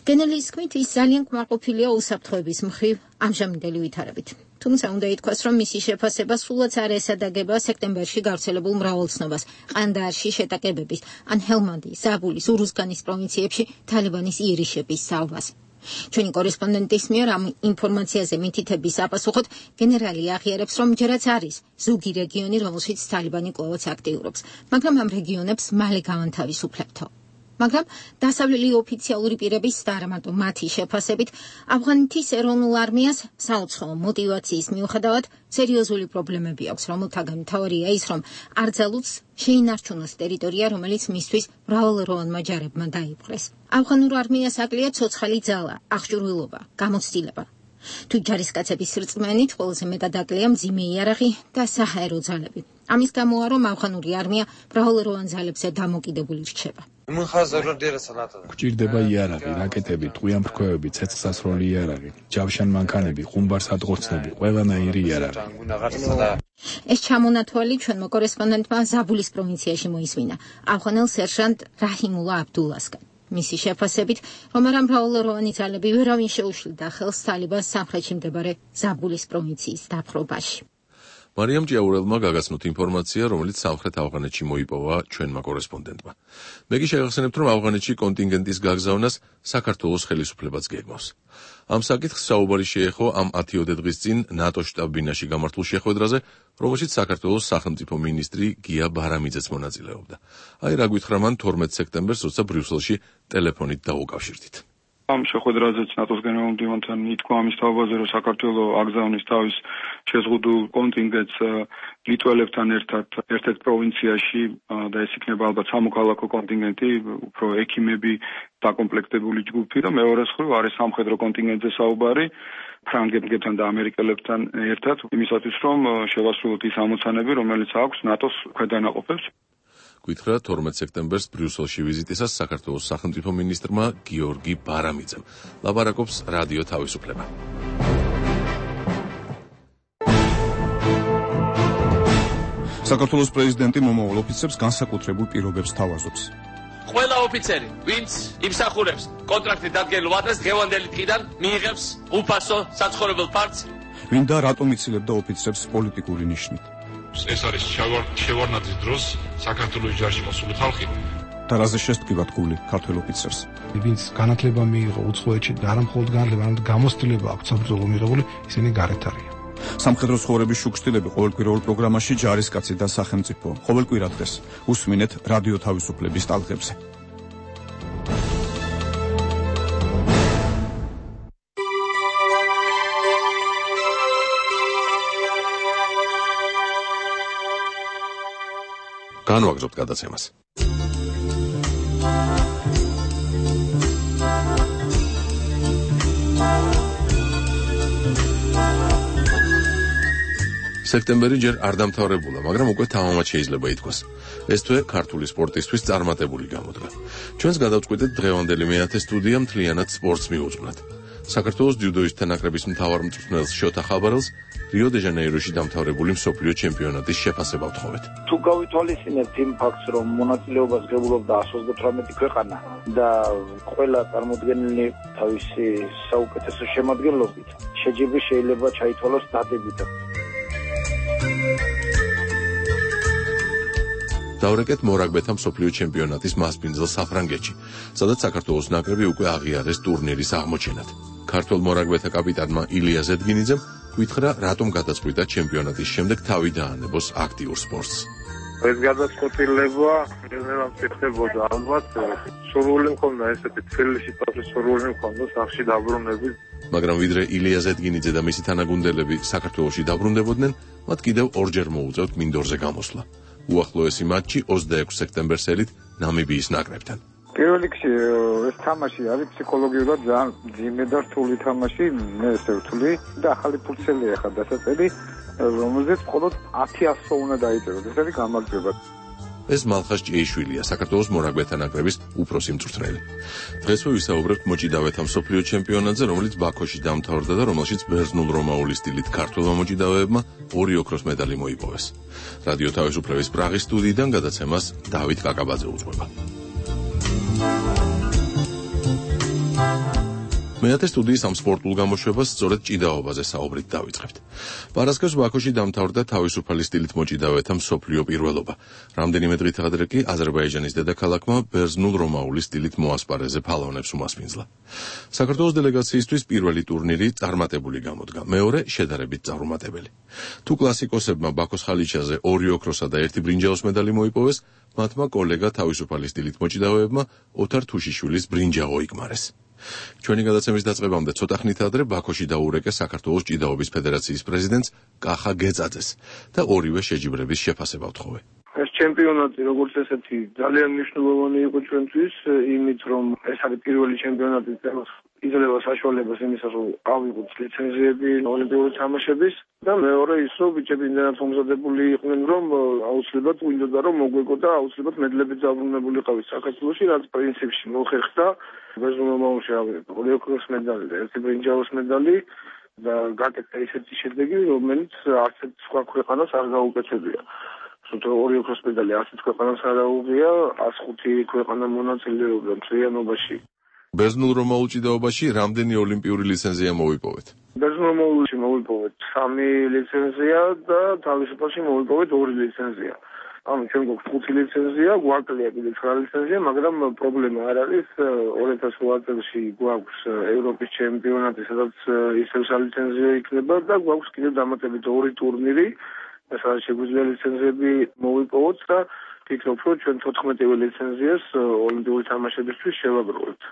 გენერლის თქმით, ის ძალიან კმაყოფილია უსაფრთხოების მხრივ ამჟამინდელი ვითარებით. თუმცა უნდა ითქვას, რომ მისი შეფასება სულაც არ ესადაგება სექტემბერში გავრცელებულ მრავალცნობას ყანდაარში შეტაკებების, ან ჰელმანდის, ზაბულის, ურუზგანის პროვინციებში თალიბანის იერიშების საუბარს. ჩვენი კორესპონდენტის მიერ ამ ინფორმაციაზე მითითების საპასუხოდ გენერალი აღიარებს, რომ ჯერაც არის ზოგი რეგიონი, რომელშიც თალიბანი კვლავაც აქტიურობს, მაგრამ ამ რეგიონებს მალე გავანთავისუფლებთო. მაგრამ დასავლელი ოფიციალური პირების და არა მარტო მათი შეფასებით, ავღანეთის ეროვნულ არმიას საუცხოო მოტივაციის მიუხედავად სერიოზული პრობლემები აქვს, რომელთაგან მთავარია ის, რომ არ ძალუძს შეინარჩუნოს ტერიტორია, რომელიც მისთვის მრავალეროვანმა ჯარებმა დაიპყრეს. ავღანურ არმიას აკლია ცოცხალი ძალა, აღჭურვილობა, გამოცდილება. თუ ჯარისკაცების რწმენით ყველაზე მეტად აკლია მძიმე იარაღი და საჰაერო ძალები. ამის გამოა, რომ ავღანური არმია მრავალეროვან ძალებზე დამოკიდებული რჩება. გვჭირდება იარაღი, რაკეტები, ტყვიამფრქვევები, ცეცხლსასროლი იარაღი, ჯავშან მანქანები, ყუმბარსადღორცნები, ყველანაირი იარაღი. ეს ჩამონათვალი ჩვენმა კორესპონდენტმა ზაბულის პროვინციაში მოისმინა, ავღანელ სერჟანტ რაჰიმულა აბდულასგან. მისი შეფასებით, რომ არა მრავალეროვანი ძალები ვერავინ შეუშლიდა ხელს თალიბანს სამხრეთში მდებარე ზაბულის პროვინციის დაპყრობაში. მარიამ ჭიაურელმა გაგაცნოთ ინფორმაცია, რომელიც სამხრეთ ავღანეთში მოიპოვა ჩვენმა კორესპონდენტმა. მე კი შევახსენებთ, რომ ავღანეთში კონტინგენტის გაგზავნას საქართველოს ხელისუფლებაც გეგმავს. ამ საკითხს საუბარი შეეხო ამ 10 დღის წინ ნატოს შტაბ-ბინაში გამართულ შეხვედრაზე, რომელშიც საქართველოს სახელმწიფო მინისტრი გია ბარამიძეც მონაწილეობდა. აი რა გითხრა მან 12 სექტემბერს, როცა ბრიუსელში ტელეფონით დაუკავშირდით. ამ შეხვედრაზეც ნატოს გენერალურ მდივანთან ითქვა ამის თავაზე, რომ საქართველოს აგზავნის თავის შეზღუდულ კონტინგენტს ლიტველებთან ერთად ერთ-ერთ პროვინციაში და ეს იქნება ალბათ სამოქალაქო კონტინგენტი, უფრო ექიმები დაკომპლექტებული ჯგუფი და მეორე მხრივ არის სამხედრო კონტინგენტზე საუბარი ფრანგებთან და ამერიკელებთან ერთად იმისათვის, რომ შევასრულოთ ის ამოცანები, რომელიც აქვს ნატოს ქვედანაყოფებს. გითხრა 12 სექტემბერს ბრიუსელში ვიზიტისას საქართველოს სახელმწიფო მინისტრმა გიორგი ბარამიძემ. ლაპარაკობს რადიო თავისუფლება. საქართველოს პრეზიდენტი მომავალ ოფიცრებს განსაკუთრებულ პირობებს თავაზობს. ყველა ოფიცერი, ვინც იმსახურებს კონტრაქტით დადგენილ ადრეს დღევანდელი დღიდან მიიღებს უფასო საცხოვრებელ ფართს. ვინ და რატომ იცილებდა ოფიცრებს პოლიტიკური ნიშნით? ეს არის შევარდნაძის დროს საქართველოს ჯარში მოსული ხალხი. და რაზე შესტკივათ გული ქართველ ოფიცერს? ვინც განათლება მიიღო უცხოეთში და არა მხოლოდ განათლება, არამედ გამოცდილება აქვს საბრძოლო მიღებული, ისინი გარეთ არიან. სამხედრო ცხოვრების შუქშტილები ყოველკვირეულ პროგრამაში ჯარისკაცი და სახელმწიფო. ყოველკვირა დღეს უსმინეთ რადიო თავისუფლების ტალღებზე. განვაგრძობთ გადაცემას. სექტემბერი ჯერ არ დამთავრებულა, მაგრამ უკვე თამამად შეიძლება ითქვას. ეს თვე ქართული სპორტისთვის წარმატებული გამოდგა. ჩვენს გადავწყვიტეთ დღევანდელი მეათე სტუდია მთლიანად სპორტს მიუძღვნათ. საქართველოს ჯუდოისტთა ნაკრების მთავარ მწვრთნელს შოთა ხაბარელს რიო-დე-ჟანეიროში დამთავრებული მსოფლიო ჩემპიონატის შეფასება ვთხოვეთ. თუ გავითვალისწინებთ იმ ფაქტს, რომ მონაწილეობას ღებულობდა 128 ქვეყანა და ყველა წარმოდგენილი თავისი საუკეთესო შემადგენლობით, შეჯიბრი შეიძლება ჩაითვალოს დადებით. დავრეკეთ მორაგბეთა მსოფლიო ჩემპიონატის მასპინძელ საფრანგეთში, სადაც საქართველოს ნაკრები უკვე აღიარეს ტურნირის აღმოჩენად. ქართველ მორაგბეთა კაპიტანმა ილია ზედგინიძემ გითხრა, რატომ გადაწყვიტა ჩემპიონატის შემდეგ თავი დაანებოს აქტიურ სპორტს. ეს გადაწყვეტილება ნელ-ნელა ხდებოდა ალბათ. სურვილი მქონდა ესეთი თბილისში თავის სურვილი მქონდა სახში დაბრუნების. მაგრამ ვიდრე ილია ზედგინიძე და მისი თანაგუნდელები საქართველოში დაბრუნდებოდნენ, მათ კიდევ ორჯერ მოუწევთ მინდორზე გამოსვლა. უახლოესი მატჩი 26 სექტემბერს ელით ნამიბიის ნაკრებთან. პირველ რიგში ეს თამაში არის ფსიქოლოგიურად ძალიან ძიმე და რთული თამაში, მე ესე ვთვლი და ახალი ფურცელია ხა დასაწერი, რომელზეც მხოლოდ 10-100 უნდა დაიწეროს. ეს არის გამარჯვება. ეს მალხას ჭეიშვილია, საქართველოს მორაგბეთა ნაკრების უფროსი მწვრთნელი. დღესვე ვისაუბრებთ მოჭიდავეთა მსოფლიო ჩემპიონატზე, რომელიც ბაქოში დამთავრდა და რომელშიც ბერძნულ-რომაული სტილით ქართველმა მოჭიდავეებმა 2 ოქროს медаლი მოიპოვეს. რადიო თავისუფლების პრაღის სტუდიიდან გადაცემას დავით კაკაბაძე უძღვება. მეათე სტუდიის ამ სპორტულ გამოშვებას სწორედ ჭიდაობაზე საუბრით დავიწყებთ. პარასკევს ბაქოში დამთავრდა თავისუფალი სტილით მოჭიდავეთა მსოფლიო პირველობა. რამდენიმე დღით ადრე კი აზერბაიჯანის დედაქალაქმა ბერძნულ-რომაული სტილით მოასპარეზე ფალონებს უმასპინძლა. საქართველოს დელეგაციისთვის პირველი ტურნირი წარმატებული გამოდგა, მეორე შედარებით წარუმატებელი. თუ კლასიკოსებმა ბაქოს ხალიჩაზე 2 ოქროსა და 1 ბრინჯაოს медаლი მოიპოვეს, მათმა კოლეგა თავისუფალი სტილით მოჭიდავეებმა ოთარ თუშიშვილის ბრინჯა მოიკმარეს. ჩვენი გადაცემის დაწყებამდე ცოტა ხნით ადრე ბაქოში დაურეკეს საქართველოს ჭიდაობის ფედერაციის პრეზიდენტს კახა გეწაძეს და ორივე შეჯიბრების შეფასება ვთხოვე. ეს ჩემპიონატი როგორც ესეთი ძალიან მნიშვნელოვანი იყო ჩვენთვის, იმით რომ ეს არის პირველი ჩემპიონატი, რომელიც იძლევა საშუალებას იმისა, რომ ავიღოთ ლიცენზიები ოლიმპიური თამაშების და მეორე ის, რომ ბიჭები იმდენად მომზადებული იყვნენ, რომ აუცილებლად გვინდოდა რომ მოგვეკო და აუცილებლად მედლებით დაბრუნებული ყავით საქართველოში, რაც პრინციპში მოხერხდა. ბერძნულ-რომაულში ავიღეთ 2 ოქროს медаლი და 1 ბრინჯაოს медаლი და გაკეთდა ისეთი შედეგი, რომელიც არც სხვა ქვეყანას არ გაუკეთებია. სულ 2 ოქროს медаლი არც ქვეყანას არ აუღია, 105 ქვეყანა მონაწილეობდა მთლიანობაში. ბერძნულ-რომაულ ჭიდაობაში რამდენი ოლიმპიური ლიცენზია მოვიპოვეთ? ბერძნულ-რომაულში მოვიპოვეთ 3 ლიცენზია და თავისუფალში მოვიპოვეთ 2 ლიცენზია. ანუ ჩვენ გვაქვს 5 ლიცენზია, გვაკლია კიდე 9 ლიცენზია, მაგრამ პრობლემა არ არის. 2008 წელს გვაქვს ევროპის ჩემპიონატი, სადაც ისევ ლიცენზია იქნება და გვაქვს კიდე დამატებით 2 ტურნირი, სადაც შეგვიძლია ლიცენზიები მოვიპოვოთ და ფიქრობ, რომ ჩვენ 14 ლიცენზიას ოლიმპიური თამაშებისთვის შევაგროვებთ.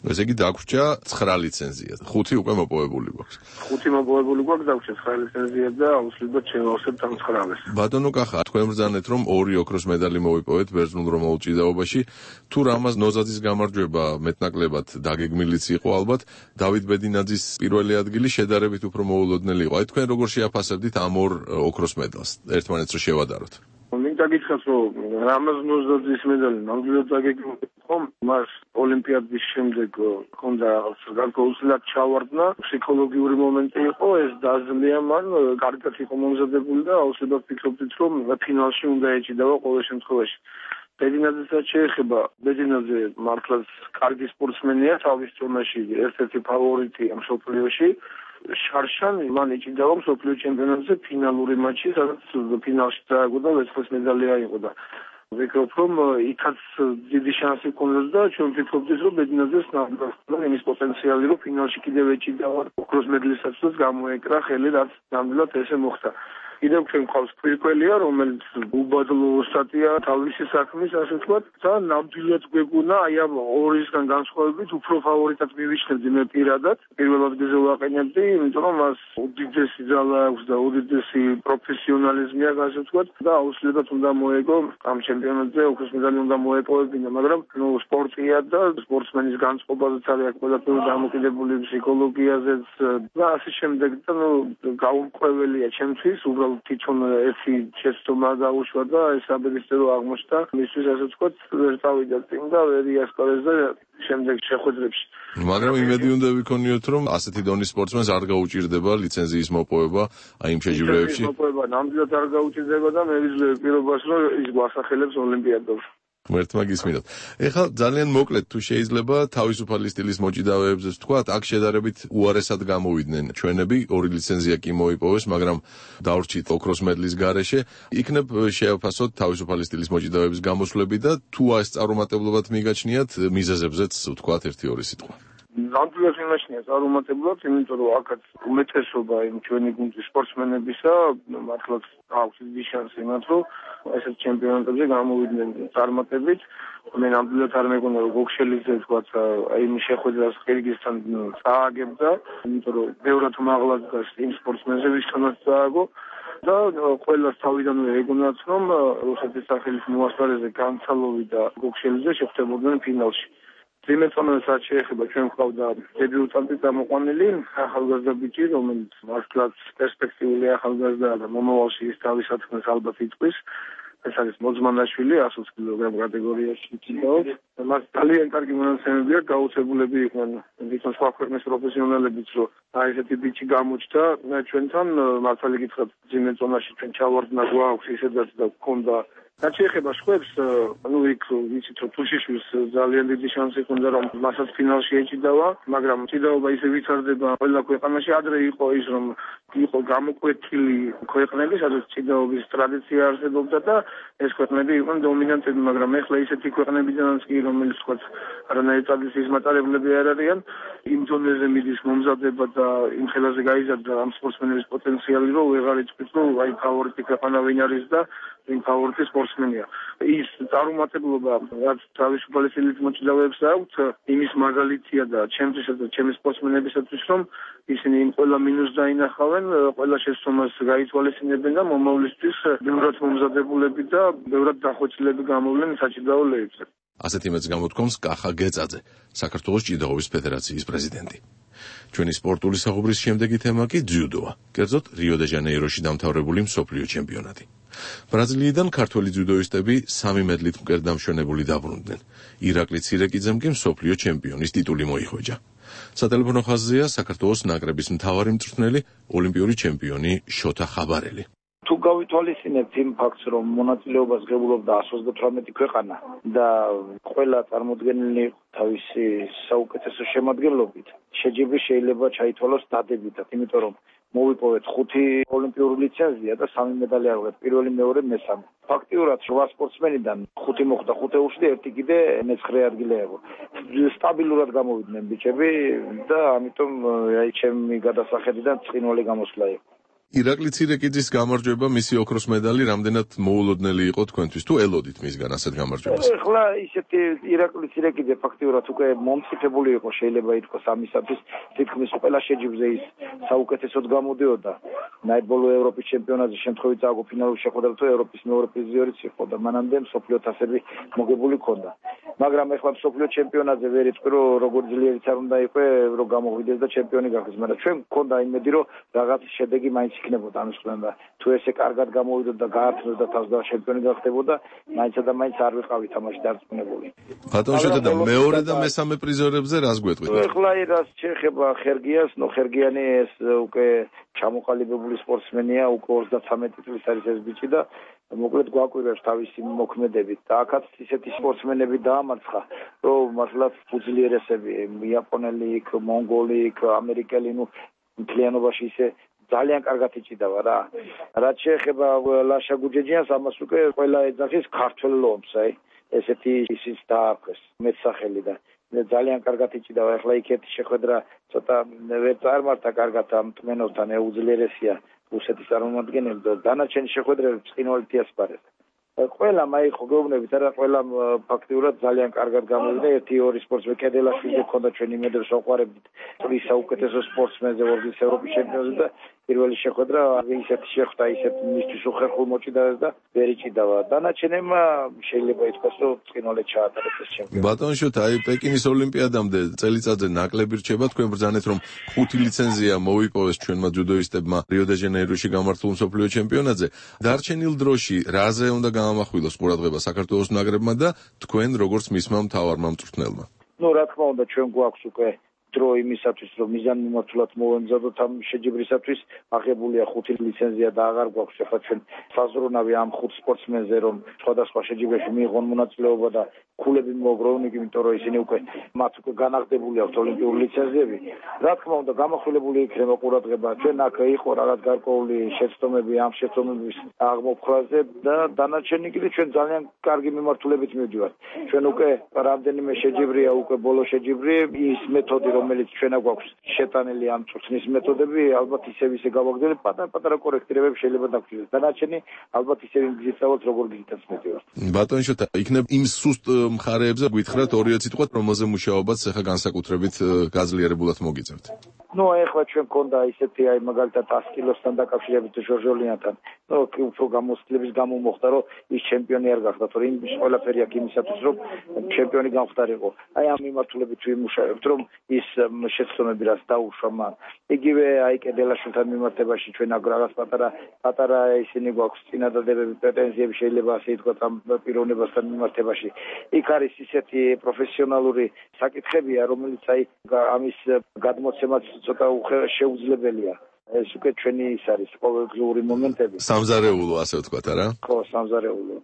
ესე იგი დაგვრჩა 9 ლიცენზია. 5 უკვე მოპოვებული გვაქვს. 5 მოპოვებული გვაქვს, დაგვრჩა 9 ლიცენზია და აუცილებლად შევავსებთ ამ 9-ს. ბატონო კახა, თქვენ ბრძანეთ რომ 2 ოქროს медаლი მოვიპოვეთ ბერძნულ-რომაულ ჭიდაობაში. თუ რამას ნოზაძის გამარჯვება მეტნაკლებად დაგეგმილიც იყო ალბათ, დავით ბედინაძის პირველი ადგილი შედარებით უფრო მოულოდნელი იყო. აი თქვენ როგორ შეაფასებდით ამ 2 ოქროს медаლს ერთმანეთს რო შევადაროთ? მინდა გითხრათ, რომ რამაზ ნოზაძის медаლი ნამდვილად დაგეგმილი იყო, მას ოლიმპიადის შემდეგ ჰქონდა გარკვეულწილად ჩავარდნა, ფსიქოლოგიური მომენტი იყო, ეს დაძლია მან, კარგად იყო მომზადებული და აუცილებლად ფიქრობდით, რომ ფინალში უნდა ეჭიდავა ყოველ შემთხვევაში. ბედინაძესაც შეეხება, ბედინაძე მართლაც კარგი სპორტსმენია, თავის ზონაში ერთ-ერთი ფავორიტია მსოფლიოში. შარშანი მან ეჭიდავა მსოფლიო ჩემპიონატზე ფინალური მატჩი, სადაც ფინალში დააგო და ვერცხლის медаლი აიღო და ვფიქრობ, რომ იქაც დიდი შანსი ჰქონდა და ჩვენ ვფიქრობდით, რომ ბედინაძეს ნამდვილად იმის პოტენციალი, რომ ფინალში კიდევ ეჭიდავა ოქროს медаლისაცაც გამოეკრა ხელი, რაც ნამდვილად ესე მოხდა. კიდევ ჩვენ გვყავს ფირკველია, რომელიც უბადლო სტატია თავისი საქმის, ასე ვთქვათ, და ნამდვილად გვეგონა აი ამ ორისგან განსხვავებით უფრო ფავორიტად მივიჩნევდი მე პირადად. პირველ ადგილზე ვაყენებდი, იმიტომ რომ მას უდიდესი ძალა აქვს და უდიდესი პროფესიონალიზმი აქვს, ასე ვთქვათ, და აუცილებლად უნდა მოეგო ამ ჩემპიონატზე ოქროს медаლი უნდა მოეპოვებინა, მაგრამ ნუ სპორტია და სპორტსმენის განწყობაზეც არის ყველაფერი დამოკიდებული ფსიქოლოგიაზეც და ასე შემდეგ და ნუ გაუმკვეველია ჩემთვის უბრალოდ თვითონ ერთი შეცდომა დაუშვა და ეს აბედისწერო აღმოჩნდა მისთვის, ასე ვთქვათ, ვერ წავიდა წინ და ვერ იასპარეს და შემდეგ შეხვედრებში. მაგრამ იმედი უნდა ვიქონიოთ, რომ ასეთი დონის სპორტსმენს არ გაუჭირდება ლიცენზიის მოპოვება აი იმ შეჯიბრებებში. მოპოვება ნამდვილად არ გაუჭირდება და მე ვიძლევი პირობას, რომ ის გვასახელებს ოლიმპიადაში. ღმერთმა გისმინოთ. ეხლა ძალიან მოკლედ თუ შეიძლება თავისუფალი სტილის მოჭიდავეებზე ვთქვათ, აქ შედარებით უარესად გამოვიდნენ ჩვენები, 2 ლიცენზია კი მოიპოვეს, მაგრამ დავრჩით ოქროს მედლის გარეშე. იქნებ შეაფასოთ თავისუფალი სტილის მოჭიდავეების გამოსვლები და თუ ეს წარუმატებლობად მიგაჩნიათ, მიზეზებზეც ვთქვათ 1-2 სიტყვა. ნამდვილად იმაშნია წარუმატებლად, იმიტომ რომ აქაც უმეტესობა იმ ჩვენი გუნდის სპორტსმენებისა მართლაც აქვს დიდი შანსი მათ, რომ ესეთ ჩემპიონატებზე გამოვიდნენ წარმატებით. მე ნამდვილად არ მეგონა რომ გოგშელიძე თქვათ აი იმ შეხვედრას ყირგიზთან წააგებდა, იმიტომ რომ ბევრად მაღლა დგას იმ სპორტსმენზე, ვისთანაც წააგო. და ყველას თავიდანვე ეგონათ, რომ რუსეთის სახელის მოასპარეზე განცალოვი და გოგშელიძე შეხვდებოდნენ ფინალში. ძიმეწონას რაც შეეხება ჩვენ გვყავდა დებიუტანტი წამოყვანილი ახალგაზრდა ბიჭი, რომელიც მართლაც პერსპექტიული ახალგაზრდაა და მომავალში ის თავის საქმეს ალბათ იტყვის. ეს არის მოძმანაშვილი 120 კილოგრამ კატეგორიაში იცინაოთ. მას ძალიან კარგი მონაცემები აქვს, გაუცებულები იყვნენ თვითონ სხვა ქვეყნის პროფესიონალებიც, რომ აი ესეთი ბიჭი გამოჩნდა ჩვენთან, მართალი გითხრათ, ძიმეწონაში ჩვენ ჩავარდნა გვაქვს ისედაც და გქონდა. რაც შეეხება შვებს, იქ ვიცით რომ თუშიშვილს ძალიან დიდი შანსი ჰქონდა რომ მასაც ფინალში ეჭიდავა, მაგრამ ჭიდაობა ისე ვითარდება ყველა ქვეყანაში. ადრე იყო ის რომ იყო გამოკვეთილი ქვეყნები, სადაც ჭიდაობის ტრადიცია არსებობდა და ეს ქვეყნები იყვნენ დომინანტები, მაგრამ ეხლა ისეთი ქვეყნებიდანაც კი რომელიც თქვა არანაირი ტრადიციის მატარებლები არ არიან, იმ დონეზე მიდის მომზადება და იმ ხელაზე გაიზარდა ამ სპორტსმენების პოტენციალი, რომ ვეღარ იწვით რომ აი ფავორიტი ქვეყანა ვინ არის და ვინ ფავორიტი სპორტსმენია. ის წარუმატებლობა რაც თავისუფალი სტილის მოჭიდავეებს აქვთ, იმის მაგალითია და ჩემთვისა და ჩემი სპორტსმენებისათვის, რომ ისინი იმ ყველა მინუსს დაინახავენ, ყველა შესწომას გაითვალისწინებენ და მომავლისთვის ბევრად მომზადებულები და ბევრად დახვეწილები გამოვლენ საჭიდაო ლეებზე. ასეთი მეც გამოთქვამს კახა გეწაძე, საქართველოს ჭიდაობის ფედერაციის პრეზიდენტი. ჩვენი სპორტული საუბრის შემდეგი თემა კი ძიუდოა, კერძოდ რიო-დე-ჟანეიროში დამთავრებული მსოფლიო ჩემპიონატი. ბრაზილიიდან ქართველი ძიუდოისტები 3 მედლით მკერდამშვენებული დაბრუნდნენ. ირაკლი ცირეკიძემ კი მსოფლიო ჩემპიონის ტიტული მოიხვეჭა. სატელეფონო ხაზზეა საქართველოს ნაკრების მთავარი მწვრთნელი, ოლიმპიური ჩემპიონი შოთა ხაბარელი. თუ გავითვალისწინებთ იმ ფაქტს, რომ მონაწილეობას ღებულობდა 128 ქვეყანა და ყველა წარმოდგენილი თავისი საუკეთესო შემადგენლობით, შეჯიბრი შეიძლება ჩაითვალოს დადებითად, იმიტომ რომ მოვიპოვეთ 5 ოლიმპიური ლიცენზია და 3 მედალი აღვეთ, პირველი, მეორე, მესამე. ფაქტიურად 8 სპორტსმენიდან 5 მოხვდა 5 ევროში და ერთი კიდე მე-9 ადგილი აიღო. სტაბილურად გამოვიდნენ ბიჭები და ამიტომ აი ჩემი გადასახედიდან ცხინვალი გამოსვლა იყო. ირაკლი ცირეკიძის გამარჯვება, მისი ოქროს მედალი რამდენად მოულოდნელი იყო თქვენთვის, თუ ელოდით მისგან ასეთ გამარჯვებას? ეხლა ისეთი ირაკლი ცირეკიძე ფაქტიურად უკვე მომწიფებული იყო, შეიძლება ითქვას ამისათვის, თითქმის ყველა შეჯიბრზე ის საუკეთესოდ გამოდიოდა. ნაიბოლო ევროპის ჩემპიონატზე შემთხვევით წააგო ფინალურ შეხვედრას, თუ ევროპის მეორე პრიზიორიც იყო და მანამდე მსოფლიო თასები მოგებული ჰქონდა. მაგრამ ეხლა მსოფლიო ჩემპიონატზე ვერ იტყვი, რომ როგორც ძლიერიც არ უნდა იყო, რომ გამოღვიდეს და ჩემპიონი გახდეს, მაგრამ ჩვენ მქონდა იმედი, რომ რაღაც შედეგი მაინც იქნებოდა ამის ხლება. თუ ესე კარგად გამოვიდოდა, გაართმევდა თავს და ჩემპიონი გახდებოდა, მაინც და მაინც არ ვიყავი თამაში დარწმუნებული. ბატონ შოთა, მეორე და მესამე პრიზორებზე რას გვეტყვით? ეხლა რას შეეხება ხერგიანს, ხერგიანი ეს უკვე ჩამოყალიბებული სპორტსმენია, უკვე 33 წლის არის ეს ბიჭი და მოკლედ გვაკვირვებს თავისი მოქმედებით და აქაც ისეთი სპორტსმენები დაამარცხა, რომ მართლაც უძლიერესები, იაპონელი, მონგოლი, ამერიკელი, მთლიანობაში ისე ძალიან კარგად იჭიდავა რა. რაც შეეხება ლაშა გუჯეჯიანს, ამას უკვე ყველა ეძახის ქართველ ლომს, აი ესეთი ისიც დაარქვეს მეტსახელი და ძალიან კარგად იჭიდავა. ეხლა იქეთი შეხვედრა ცოტა ვერ წარმართა კარგად ამ ტმენოვთან, უძლიერესია რუსეთის წარმომადგენელი და დანარჩენი შეხვედრები ცხინვალით იასპარეს. ყველა მაიხო გეუბნებით, არა ყველა ფაქტიურად ძალიან კარგად გამოვიდა. 1-2 სპორტსმენი კედელაშვილი ჰქონდა ჩვენ იმედებს ვაყვარებდით. ის საუკეთესო სპორტსმენზე ვორდის ევროპის ჩემპიონატზე და პირველი შეხვედრა ისეთი შეხვდა, ისეთ მისთვის უხერხულ მოჭიდავეს და ვერ იჭიდავა. დანარჩენებმა შეიძლება ითქვას, რომ ცხინვალით ჩაატარეს ეს ჩემპიონატი. ბატონ შოთა, აი პეკინის ოლიმპიადამდე წელიწადზე ნაკლები რჩება, თქვენ ბრძანეთ რომ 5 ლიცენზია მოიპოვეს ჩვენმა ძუდოისტებმა რიო-დე-ჟანეიროში გამართულ მსოფლიო ჩემპიონატზე. დარჩენილ დროში რაზე უნდა გამახვილოს ყურადღება საქართველოს ნაკრებმა და თქვენ როგორც მისმა მთავარმა მწვრთნელმა? რა თქმა უნდა, ჩვენ გვაქვს უკვე დრო იმისათვის, რომ მიზანმიმართულად მოვემზადოთ ამ შეჯიბრისათვის, აღებულია 5 ლიცენზია და აღარ გვაქვს ახლა ჩვენ საზრუნავი ამ 5 სპორტსმენზე, რომ სხვადასხვა შეჯიბრებში მიიღონ მონაწილეობა და ქულები მოაგროვონ, იმიტომ რომ ისინი მათ უკვე განაღდებული აქვთ ოლიმპიური ლიცენზიები. რა თქმა უნდა, გამახვილებული იქნება ყურადღება. ჩვენ აქ იყო რაღაც გარკვეული შეცდომები ამ შეცდომების აღმოფხვრაზე და დანარჩენი კიდე ჩვენ ძალიან კარგი მიმართულებით მივდივართ. ჩვენ უკვე რამდენიმე შეჯიბრია, უკვე ბოლო შეჯიბრი, ის მეთოდი, რომელიც ჩვენ გვაქვს შეტანილი ამ წვრთნის მეთოდები, ალბათ ისე გავაგრძელებ, პატარა კორექტირებები შეიძლება დაგჭირდეს. დანარჩენი ალბათ ისე ვიგზავნოთ, როგორ გითაც მივდივართ. ბატონო შოთა, იქნებ იმ სუსტ მხარეებზე გითხრათ ორი სიტყვით, რომელზე მუშაობაც ახლა განსაკუთრებით გაძლიერებულად მოგიწევთ. ეხლა ჩვენ გქონდა ისეთი მაგალითად 100 კილოსთან დაკავშირებით ჟორჟოლიანთან. უფრო გამოცდილების გამო მოხდა, რომ ის ჩემპიონი არ გახდა, თორე იმის ყველაფერი აქ იმისათვის, რომ ჩემპიონი გამხდარიყო. ამ მიმართულებით ვიმუშავებთ, რომ ის შეცდომები რაც დაუშვა მან. იგივე კედელაშვილთან მიმართებაში ჩვენ აქ რაღაც პატარა ისინი გვაქვს წინადადებები, პრეტენზიები შეიძლება ასე ითქვათ ამ პიროვნებასთან მიმართებაში. იქ არის ისეთი პროფესიონალური საკითხებია, რომელიც ამის გადმოცემაც ცოტა შეუძლებელია. ეს უკვე ჩვენი ის არის ყოველდღიური მომენტები. სამზარეულო ასე ვთქვათ, არა? ხო, სამზარეულო.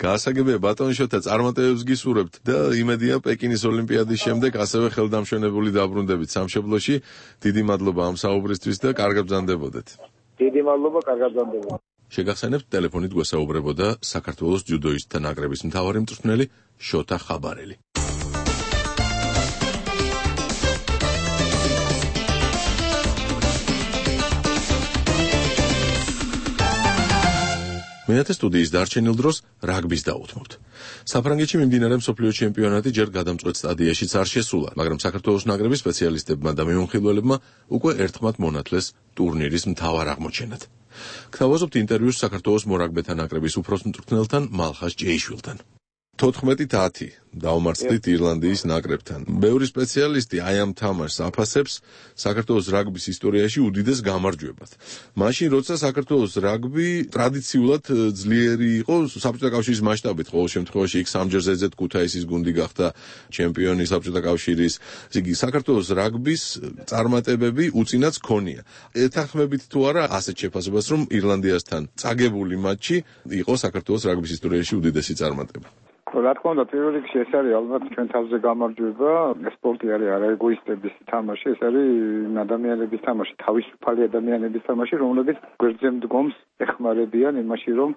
გაასაგებია ბატონო შოთა, წარმატებებს გისურვებთ და იმედია პეკინის ოლიმპიადის შემდეგ ასევე ხელდამშვენებული დაბრუნდებით სამშობლოში. დიდი მადლობა ამ საუბრისთვის და კარგად ბრძანდებოდეთ. დიდი მადლობა, კარგად ბრძანდებოდეთ. შეგახსენებთ, ტელეფონით გვესაუბრებოდა საქართველოს ჯუდოისტთა ნაკრების მთავარი მწვრთნელი შოთა ხაბარელი. მენათე სტუდიის დარჩენილ დროს რაგბის დაუთმობთ. საფრანგეთში მიმდინარე მსოფლიო ჩემპიონატი ჯერ გადამწყვეტ სტადიაშიც არ შესულა, მაგრამ საქართველოს ნაკრების სპეციალისტებმა და მიმოხილველებმა უკვე ერთხმად მონათლეს ტურნირის მთავარ აღმოჩენად. გთავაზობთ ინტერვიუს საქართველოს მორაგბეთა ნაკრების უფროს მწვრთნელთან მალხაზ ჭეიშვილთან. 14-10 დაუმარცხდით ირლანდიის ნაკრებთან. ბევრი სპეციალისტი ამ თამაშს აფასებს საქართველოს რაგბის ისტორიაში უდიდეს გამარჯვებად. მაშინ, როცა საქართველოს რაგბი ტრადიციულად ძლიერი იყო საბჭოთა კავშირის მასშტაბით, ყოველ შემთხვევაში იქ სამჯერ ზედზედ ქუთაისის გუნდი გახდა ჩემპიონი საბჭოთა კავშირის. იგი საქართველოს რაგბის წარმატებები უწინაც ქონია. ეთანხმებით თუ არა ასეთ შეფასებას, რომ ირლანდიასთან წაგებული მატჩი იყო საქართველოს რაგბის ისტორიაში უდიდესი წარმატება? რა თქმა უნდა, პირველ რიგში ეს არის ალბათ ჩვენ თავზე გამარჯვება. სპორტი არის არა ეგოისტების თამაში, ეს არის ადამიანების თამაში, თავისუფალი ადამიანების თამაში, რომლებიც გვერდზე მდგომს ეხმარებიან იმაში, რომ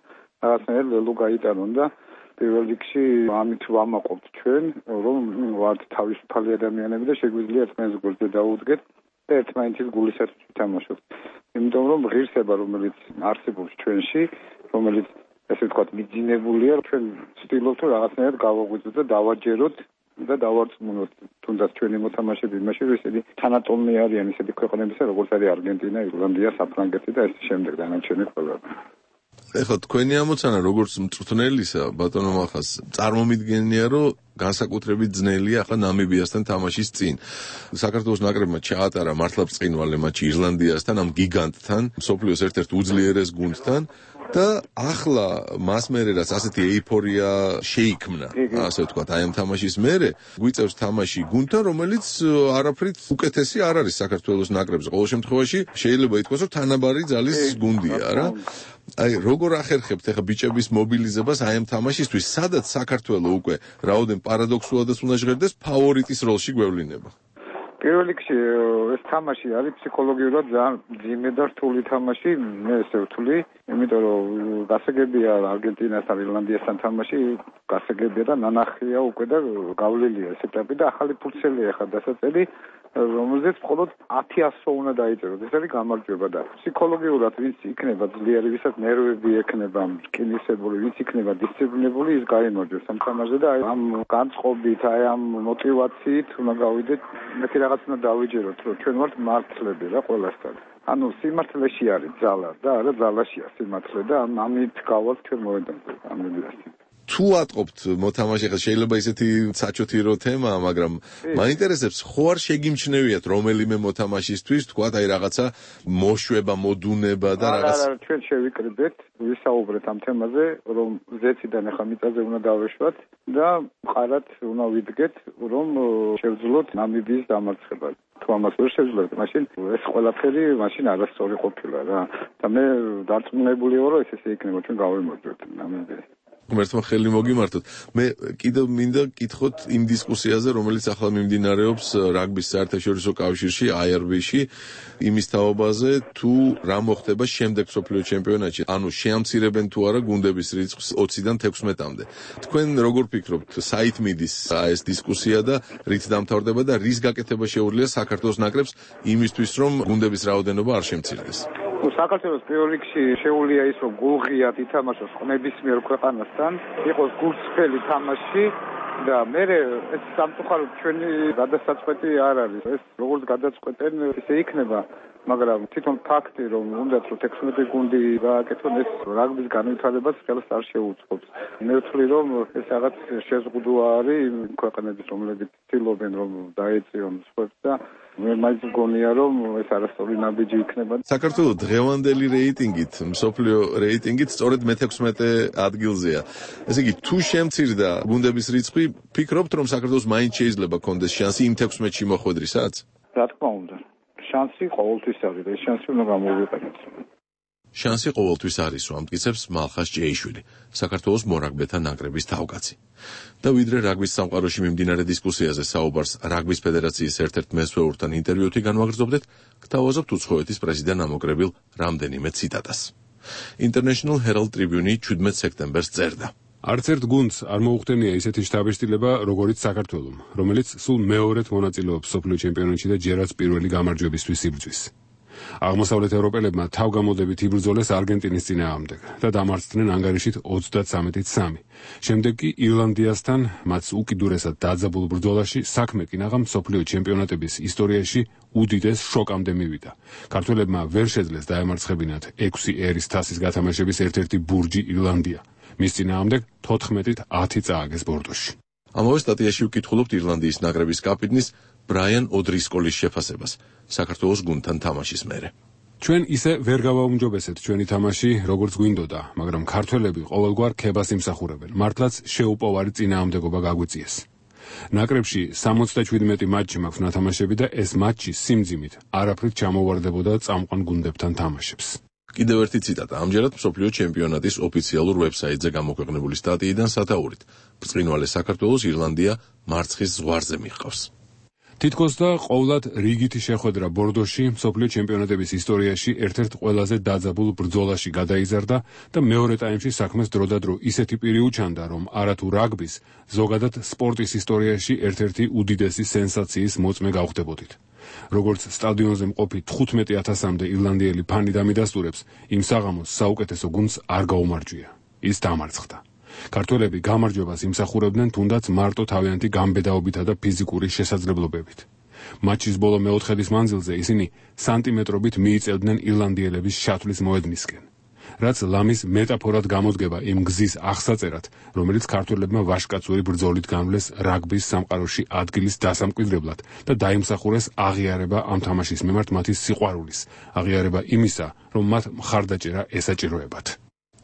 რაღაცნაირად ლელო გაიტანონ და პირველ რიგში ამით ვამაყობთ ჩვენ, რომ ვართ თავისუფალი ადამიანები და შეგვიძლია ერთმანეთს გვერდზე დაუდგეთ და ერთმანეთის გულისათვის ვითამაშოთ. იმიტომ რომ ღირსება, რომელიც არსებობს ჩვენში, რომელიც ესე ვთქვათ, მიძინებულია, ჩვენ ვცდილობთ რაღაცნაირად გავაღვიძოთ და დავაჯეროთ და დავარწმუნოთ თუნდაც ჩვენი მოთამაშეები იმაში, რომ ისეთი თანატოლნი არიან ისეთი ქვეყნებისა, როგორც არის არგენტინა, ირლანდია, საფრანგეთი და ეს შემდეგ დანარჩენი ქვეყნები. ეხლა თქვენი ამოცანა როგორც მწვრთნელისა, ბატონო მალხაზ, წარმომიდგენია, რომ განსაკუთრებით ძნელია ახლა ნამიბიასთან თამაშის წინ. საქართველოს ნაკრებმა ჩაატარა მართლა ბრწყინვალე მატჩი ირლანდიასთან, ამ გიგანტთან, მსოფლიოს ერთ-ერთ უძლიერეს გუნდთან. და ახლა მას მერე რაც ასეთი ეიფორია შეიქმნა, ასე ვთქვათ, ამ თამაშის მერე გვიწევს თამაში გუნდთან, რომელიც არაფრით უკეთესი არ არის საქართველოს ნაკრებზე. ყოველ შემთხვევაში შეიძლება ითქვას, რომ თანაბარი ძალის გუნდია, რა. როგორ ახერხებთ ახლა ბიჭების მობილიზებას ამ თამაშისთვის, სადაც საქართველოს უკვე რაოდენ პარადოქსულადაც უნდა ჟღერდეს, ფავორიტის როლში გვევლინება? პირველ რიგში ეს თამაში არის ფსიქოლოგიურად ძალიან მძიმე და რთული თამაში, მე ესე ვთვლი, იმიტომ რომ გასაგებია არგენტინასთან, ირლანდიასთან თამაში, გასაგებია და ნანახია უკვე და გავლილია ეს ეტაპი და ახალი ფურცელია ახლა დასაწერი, რომელზეც მხოლოდ 10-100 უნდა დაიწეროთ. ეს არის გამარჯვება და ფსიქოლოგიურად ვინც იქნება ძლიერი, ვისაც ნერვები ექნება, რკინისებული, ვინც იქნება დისციპლინებული, ის გაიმარჯვებს ამ თამაშზე და ამ განწყობით, ამ мотивაციით უნდა გავიდეთ. მეთქი რაღაც უნდა დავიჯეროთ, რომ ჩვენ ვართ მართლები რა ყველასთან. ანუ სიმართლეში არის ძალა და არა ძალაშია სიმართლე და ამით გავალთ ჩვენ მოედანზე ამ მილიაში. თუ ატყობთ მოთამაშე, შეიძლება ისეთი საჩოთირო თემაა, მაგრამ მაინტერესებს, ხო არ შეგიმჩნევიათ რომელიმე მოთამაშისთვის, თქვათ, აი რაღაცა მოშვება, მოდუნება და რაღაც. არა, ჩვენ შევიკრიბეთ, ვისაუბრეთ ამ თემაზე, რომ ზეციდან ახლა მიწაზე უნდა დავეშვათ და მყარად უნდა ვიდგეთ, რომ შევძლოთ ნამიბიის დამარცხება. თუ ამას ვერ შევძლოთ, მაშინ ეს ყველაფერი მაშინ არასწორი ყოფილა რა. და მე დარწმუნებული ვარ, რომ ესე იქნება, ჩვენ გავიმარჯვებთ ნამიბიას. ღმერთმა ხელი მოგიმართოთ. მე კიდევ მინდა გკითხოთ იმ დისკუსიაზე, რომელიც ახლა მიმდინარეობს რაგბის საერთაშორისო კავშირში, IRB-ში, იმის თაობაზე, თუ რა მოხდება შემდეგ მსოფლიო ჩემპიონატში. ანუ შეამცირებენ თუ არა გუნდების რიცხვს 20-დან 16-მდე. თქვენ როგორ ფიქრობთ, საით მიდის ეს დისკუსია და რით დამთავრდება და რის გაკეთება შეუძლია საქართველოს ნაკრებს იმისთვის, რომ გუნდების რაოდენობა არ შემცირდეს? საქართველოს პირველ რიგში შეუძლია ის, რომ გულღიად ითამაშოს ნებისმიერ ქვეყანასთან, იყოს გულწრფელი თამაში და მე ეს სამწუხაროდ ჩვენი გადასაწყვეტი არ არის. ეს როგორც გადაწყვეტენ, ისე იქნება, მაგრამ თვითონ ფაქტი, რომ უნდათ რომ 16 გუნდი გააკეთონ, ეს რაგბის განვითარებას ხელს არ შეუწყობს. მე ვთვლი, რომ ეს რაღაც შეზღუდვა არის იმ ქვეყნების, რომლებიც ცდილობენ რომ დაეწიონ სპორტს და მე მაინც მგონია, რომ ეს არასწორი ნაბიჯი იქნება. საქართველოს დღევანდელი რეიტინგით, მსოფლიო რეიტინგით სწორედ მე-16 ადგილზეა. ესე იგი, თუ შემცირდა გუნდების რიცხვი, ფიქრობთ, რომ საქართველოს მაინც შეიძლება კონდეს შანსი იმ 16-ში მოხვედრისაც? რა თქმა უნდა. შანსი ყოველთვის არის და ეს შანსი უნდა გამოვიყენოთ. შანსი ყოველთვის არის, რომ ამტკიცებს მალხაზ ჭეიშვილი, საქართველოს მორაგბეთა ნაკრების თავკაცი. და ვიდრე რაგბის სამყაროში მიმდინარე დისკუსიაზე საუბარს რაგბის ფედერაციის ერთ-ერთ მესვეურთან ინტერვიუთი განვაგრძობდეთ, გთავაზობთ უცხოეთის პრესიდან ამოკრებილ რამდენიმე ციტატას. International Herald Tribune 17 სექტემბერს წერდა. არც ერთ გუნდს არ მოუხდენია ისეთი შტაბ-შტილება, როგორიც საქართველომ, რომელიც სულ მეორედ მონაწილეობს მსოფლიო ჩემპიონატში და ჯერაც პირველი გამარჯვებისთვის იბრძვის. აღმოსავლეთ ევროპელებმა თავგამოდებით იბრძოლეს არგენტინის წინააღმდეგ და დამარცხდნენ ანგარიშით 33-3. შემდეგ კი ირლანდიასთან მათ უკიდურესად დაძაბულ ბრძოლაში საქმე კინაღამ მსოფლიო ჩემპიონატების ისტორიაში უდიდეს შოკამდე მივიდა. ქართველებმა ვერ შეძლეს დაემარცხებინათ 6 ერის თასის გათამაშების ერთ-ერთი ბურჯი ირლანდია. მის წინააღმდეგ 14-10 წააგეს ბორდოში. ამავე სტატიაში ვკითხულობთ ირლანდიის ნაკრების კაპიტნის ბრაიან ოდრისკოლის შეფასებას საქართველოს გუნდთან თამაშის მერე. ჩვენ ისე ვერ გავაუმჯობესეთ ჩვენი თამაში, როგორც გვინდოდა, მაგრამ ქართველები ყოველგვარ ქებას იმსახურებენ. მართლაც შეუპოვარი წინააღმდეგობა გაგვიწიეს. ნაკრებში 77 მატჩი მაქვს ნათამაშები და ეს მატჩი სიმძიმით არაფრით ჩამოვარდებოდა წამყვან გუნდებთან თამაშებს. კიდევ ერთი ციტატა, ამჯერად მსოფლიო ჩემპიონატის ოფიციალურ ვებსაიტზე გამოქვეყნებული სტატიიდან სათაურით. ბრწყინვალე საქართველოს ირლანდია მარცხის ზღვარზე მიჰყავს. თითქოს და ყოვლად რიგითი შეხვედრა ბორდოში მსოფლიო ჩემპიონატების ისტორიაში ერთ-ერთ ყველაზე დაძაბულ ბრძოლაში გადაიზარდა და მეორე ტაიმში საქმეს დროდადრო ისეთი პირი უჩანდა, რომ არათუ რაგბის, ზოგადად სპორტის ისტორიაში ერთ-ერთი უდიდესი სენსაციის მოწმე გავხდებოდით. როგორც სტადიონზე მყოფი 15,000-მდე ირლანდიელი ფანი დამიდასტურებს, იმ საღამოს საუკეთესო გუნდს არ გაუმარჯვია. ის დამარცხდა. ქართველები გამარჯვებას იმსახურებდნენ თუნდაც მარტო თავიანთი გამბედაობითა და ფიზიკური შესაძლებლობებით. მატჩის ბოლო მეოთხედის მანძილზე ისინი სანტიმეტრობით მიიწევდნენ ირლანდიელების შათვლის მოედნისკენ. რაც ლამის მეტაფორად გამოდგება იმ გზის აღსაწერად, რომელიც ქართველებმა ვაშკაცური ბრძოლით განვლეს რაგბის სამყაროში ადგილის დასამკვიდრებლად და დაიმსახურეს აღიარება ამ თამაშის მიმართ მათი სიყვარულის, აღიარება იმისა, რომ მათ მხარდაჭერა ესაჭიროებათ.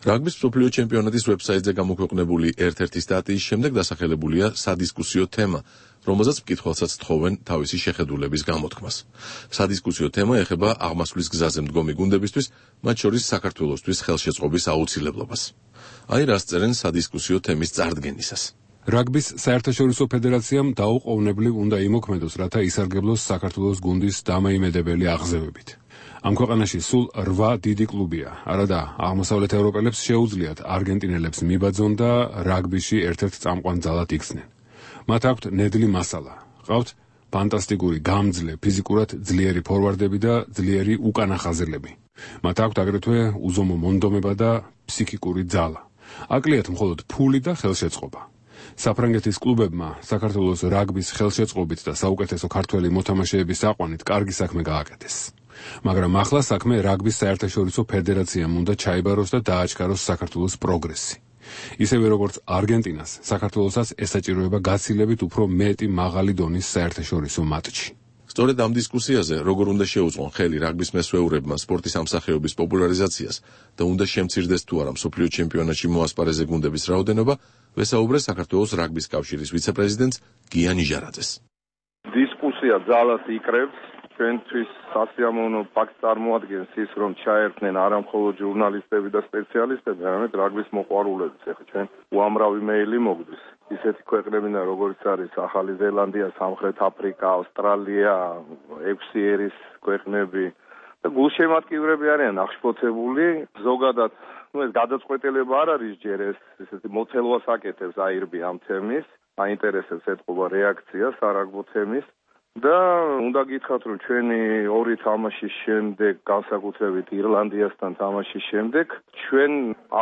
რაგბის მსოფლიო ჩემპიონატის ვებსაიტზე გამოქვეყნებული ერთ-ერთი სტატიის შემდეგ დასახელებულია სადისკუსიო თემა, რომელზეც მკითხველსაც თხოვენ თავისი შეხედულების გამოთქმას. სადისკუსიო თემა ეხება აღმასვლის გზაზე მდგომი გუნდებისთვის, მათ შორის საქართველოსთვის ხელშეწყობის აუცილებლობას. აი რას წერენ სადისკუსიო თემის წარდგენისას. რაგბის საერთაშორისო ფედერაციამ დაუყოვნებლივ უნდა იმოქმედოს, რათა ისარგებლოს საქართველოს გუნდის დამაიმედებელი აღზევებით. ამ ქვეყანაში სულ 8 დიდი კლუბია. არადა აღმოსავლეთ ევროპელებს შეუძლიათ არგენტინელებს მიბაძონ და რაგბიში ერთ-ერთ წამყვან ძალად იქცნენ. მათ აქვთ ნედლი მასალა. ყავთ ფანტასტიკური გამძლე, ფიზიკურად ძლიერი ფორვარდები და ძლიერი უკანახაზრლები. მათ აქვთ აგრეთვე უზომო მონდომება და ფსიქიკური ძალა. აკლიათ მხოლოდ ფული და ხელშეწყობა. საფრანგეთის კლუბებმა საქართველოს რაგბის ხელშეწყობით და საუკეთესო ქართველი მოთამაშეების აყვანით კარგი საქმე გააკეთეს. მაგრამ ახლა საქმე რაგბის საერთაშორისო ფედერაციამ უნდა ჩაიბაროს და დააჩქაროს საქართველოს პროგრესი. ისევე როგორც არგენტინას, საქართველოსაც ესაჭიროება გაცილებით უფრო მეტი მაღალი დონის საერთაშორისო მატჩი. სწორედ ამ დისკუსიაზე როგორ უნდა შეუწყონ ხელი რაგბის მესვეურებმა სპორტის ამსახეობის პოპულარიზაციას და უნდა შემცირდეს თუ არა მსოფლიო ჩემპიონატში მოასპარეზე გუნდების რაოდენობა, ვესაუბრე საქართველოს რაგბის კავშირის ვიცე-პრეზიდენტს გია ნიჟარაძეს. დისკუსია ძალას იკრებს. ჩვენთვის სასიამოვნო ფაქტს წარმოადგენს ის, რომ ჩაერთნენ არა მხოლოდ ჟურნალისტები და სპეციალისტები, არამედ რაგბის მოყვარულებიც. ეხლა ჩვენ უამრავი მეილი მოგდის. ისეთი ქვეყნებიდან როგორიც არის ახალი ზელანდია, სამხრეთ აფრიკა, ავსტრალია, 6 ერის ქვეყნები და გულშემატკივრები არიან აღშფოთებული. ზოგადად, ეს გადაწყვეტილება არ არის ჯერ ეს ესეთი მოცელვას აკეთებს აირბი ამ თემის, აინტერესებს ეთყობა რეაქცია სარაგბო თემის. და უნდა გითხრათ, რომ ჩვენი ორი თამაშის შემდეგ, განსაკუთრებით ირლანდიასთან თამაშის შემდეგ, ჩვენ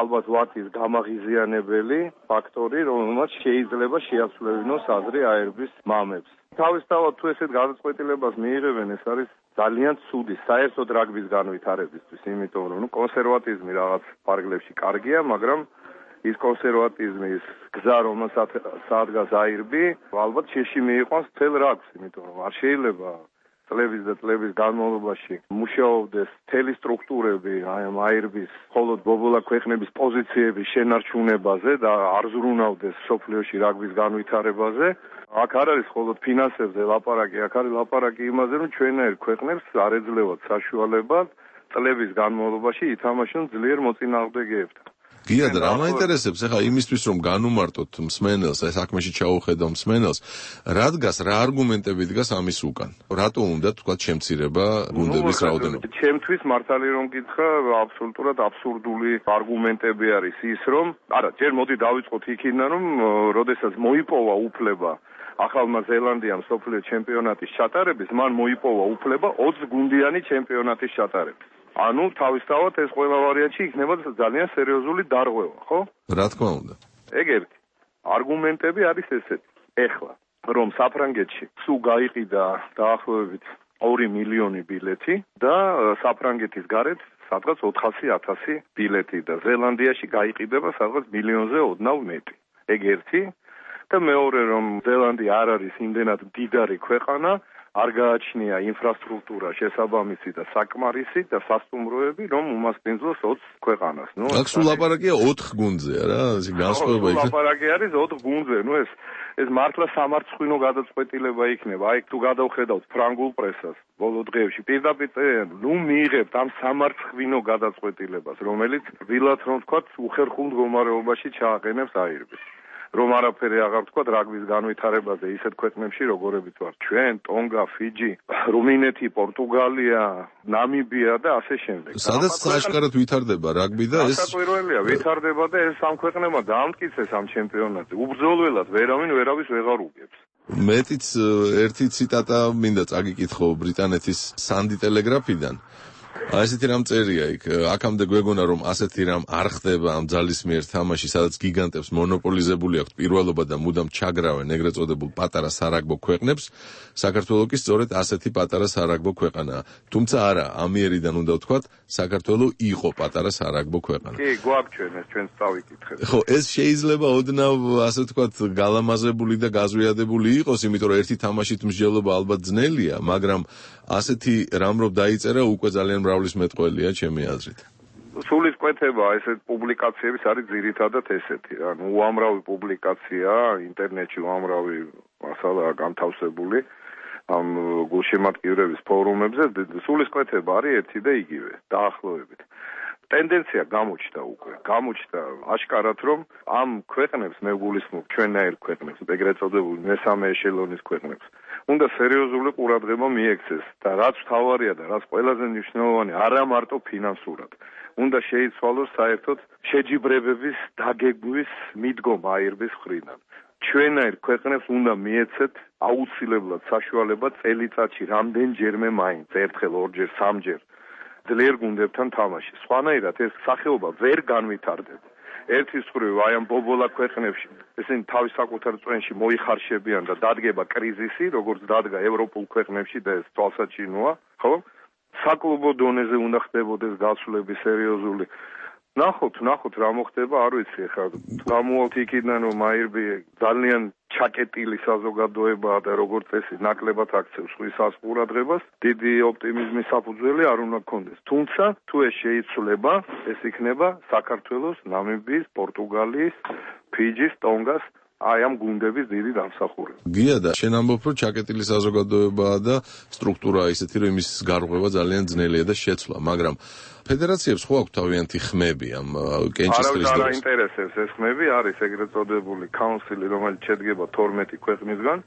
ალბათ ვართ ის გამაღიზიანებელი ფაქტორი, რომელმაც შეიძლება შეაცვლებინოს აზრი აერბის მამებს. თავისთავად თუ ესეთ გადაწყვეტილებას მიიღებენ, ეს არის ძალიან ცუდი საერთოდ რაგბის განვითარებისთვის, იმიტომ რომ კონსერვატიზმი რაღაც ფარგლებში კარგია, მაგრამ ის კონსერვატიზმის გზა, რომელსაც საადგას აირბი, ალბათ შეში მიიყვანს მთელ რაგბს, იმიტომ რომ არ შეიძლება წლების და წლების განმავლობაში მუშაობდეს მთელი სტრუქტურები აი ამ აირბის მხოლოდ ბობოლა ქვეყნების პოზიციების შენარჩუნებაზე და არ ზრუნავდეს სოფლიოში რაგბის განვითარებაზე. აქ არ არის მხოლოდ ფინანსებზე ლაპარაკი, აქ არის ლაპარაკი იმაზე, რომ ჩვენაირ ქვეყნებს არ ეძლევათ საშუალება წლების განმავლობაში ითამაშონ ძლიერ მოწინააღმდეგეებთან. გია და რა მაინტერესებს ახლა იმისთვის რომ განუმარტოთ მსმენელს, ეს საქმეში ჩაუხედავ მსმენელს, რა დგას, რა არგუმენტები დგას ამის უკან? რატო უნდა თქვა შემცირება გუნდების რაოდენობა? ჩემთვის მართალი რომ გითხრა, აბსოლუტურად აბსურდული არგუმენტები არის ის, რომ არა, ჯერ მოდი დავიწყოთ იქიდან, რომ როდესაც მოიპოვა უფლება ახალმა ზელანდიამ სოფლიო ჩემპიონატის ჩატარების, მან მოიპოვა უფლება 20 გუნდიანი ჩემპიონატის ჩატარების. ანუ თავისთავად ეს ყველა ვარიანტი იქნება ძალიან სერიოზული დარღვევა, ხო? რა თქმა უნდა. ეგ ერთი. არგუმენტები არის ესეთი. ეხლა რომ საფრანგეთში სულ გაიყიდა დაახლოებით 2 მილიონი ბილეთი და საფრანგეთის გარეთ სადღაც 400,000 ბილეთი და ზელანდიაში გაიყიდება სადღაც მილიონზე ოდნავ მეტი. ეგ ერთი. და მეორე რომ ზელანდია არ არის იმდენად მდიდარი ქვეყანა, არ გააჩნია ინფრასტრუქტურა შესაბამისი და საკმარისი და სასტუმროები, რომ უმასპინძლოს 20 ქვეყანას. აქ სულ ლაპარაკია 4 გუნდზე რა, ეს განსხვავება იქნება. ლაპარაკი არის 4 გუნდზე, ეს მართლა სამარცხვინო გადაწყვეტილება იქნება. აი თუ გადავხედავთ ფრანგულ პრესას ბოლო დღეებში, პირდაპირ მიიღებთ ამ სამარცხვინო გადაწყვეტილებას, რომელიც ვილად რომ თქვათ უხერხულ მდგომარეობაში ჩააყენებს აირბის. რომ არაფერი აღარ თქვა რაგბის განვითარებაზე ისეთ ქვეყნებში როგორებიც ვარ ჩვენ, ტონგა, ფიჯი, რუმინეთი, პორტუგალია, ნამიბია და ასე შემდეგ. სადაც სააშკარად ვითარდება რაგბი და ეს საკვირველია, ვითარდება და ეს ამ ქვეყნებმა დაამტკიცეს ამ ჩემპიონატზე. უბრძოლველად ვერავის ვეღარ უგებს. მეტიც ერთი ციტატა მინდა წაგიკითხო ბრიტანეთის სანდი ტელეგრაფიდან. ასეთი რამ წერია იქ, აქამდე გვეგონა რომ ასეთი რამ არ ხდება ამ ძალის მიერ თამაში, სადაც გიგანტებს მონოპოლიზებული აქვთ პირველობა და მუდამ ჩაგრავენ ეგრეთ წოდებულ პატარა სარაგბო ქვეყნებს, საქართველო კი სწორედ ასეთი პატარა სარაგბო ქვეყანაა. თუმცა არა, ამიერიდან უნდა ვთქვათ, საქართველო იყო პატარა სარაგბო ქვეყანა. კი, გვაქვს ჩვენს წავიკითხეთ. ხო, ეს შეიძლება ოდნავ ასე ვთქვათ გალამაზებული და გაზვიადებული იყოს, იმიტომ რომ ერთი თამაშით მსჯელობა ალბათ ძნელია, მაგრამ ასეთი რამ რომ დაიწერა უკვე ძალიან მრავლის მეტყველია ჩემი აზრით. სულისკვეთება ესეთ პუბლიკაციების არის ძირითადად ესეთი, ანუ უამრავი პუბლიკაცია ინტერნეტში, უამრავი მასალაა განთავსებული ამ გულშემატკივრების ფორუმებზე, სულისკვეთება არის ერთი და იგივე, დაახლოებით. ტენდენცია გამოჩნდა აშკარად, რომ ამ ქვეყნებს მე გულისხმობ ჩვენაირ ქვეყნებს, ეგრეთ წოდებულ მესამე ეშელონის ქვეყნებს, უნდა სერიოზული ყურადღება მიექცეს და რაც მთავარია და რაც ყველაზე მნიშვნელოვანი, არა მარტო ფინანსურად. უნდა შეიცვალოს საერთოდ შეჯიბრებების დაგეგმვის მიდგომა აირბის მხრიდან. ჩვენაირ ქვეყნებს უნდა მიეცეთ აუცილებლად საშუალება წელიწადში რამდენჯერმე მაინც, ერთხელ, ორჯერ, სამჯერ ძლიერ გუნდებთან თამაში. სხვანაირად ეს სახეობა ვერ განვითარდება. ერთის მხრივ აი ამ ბობოლა ქვეყნებში ესენი თავის საკუთარ წვენში მოიხარშებიან და დადგება კრიზისი, როგორც დადგა ევროპულ ქვეყნებში და ეს თვალსაჩინოა, ხო? საკლუბო დონეზე უნდა ხდებოდეს გასვლები სერიოზული. ნახოთ რა მოხდება, არ ვიცი ხა. გამოვალთ იქიდან რომ აირბი ძალიან ჩაკეტილი საზოგადოებაა და როგორც წესი ნაკლებად აქცევს სხვისას ყურადღებას, დიდი ოპტიმიზმის საფუძველი არ უნდა გქონდეს. თუმცა თუ ეს შეიცვლება, ეს იქნება საქართველოს, ნამიბიის, პორტუგალიის, ფიჯის, ტონგას აი ამ გუნდების დიდი დამსახურება. გია და შენ ამბობ რომ ჩაკეტილი საზოგადოებაა და სტრუქტურაა ისეთი რომ იმის გარღვევა ძალიან ძნელია და შეცვლა, მაგრამ ფედერაციებს ხო აქვს თავიანთი ხმები ამ კენჭისყრის დროს? არავის არ აინტერესებს ეს ხმები, არის ეგრეთ წოდებული კაუნსილი, რომელიც შედგება 12 ქვეყნისგან,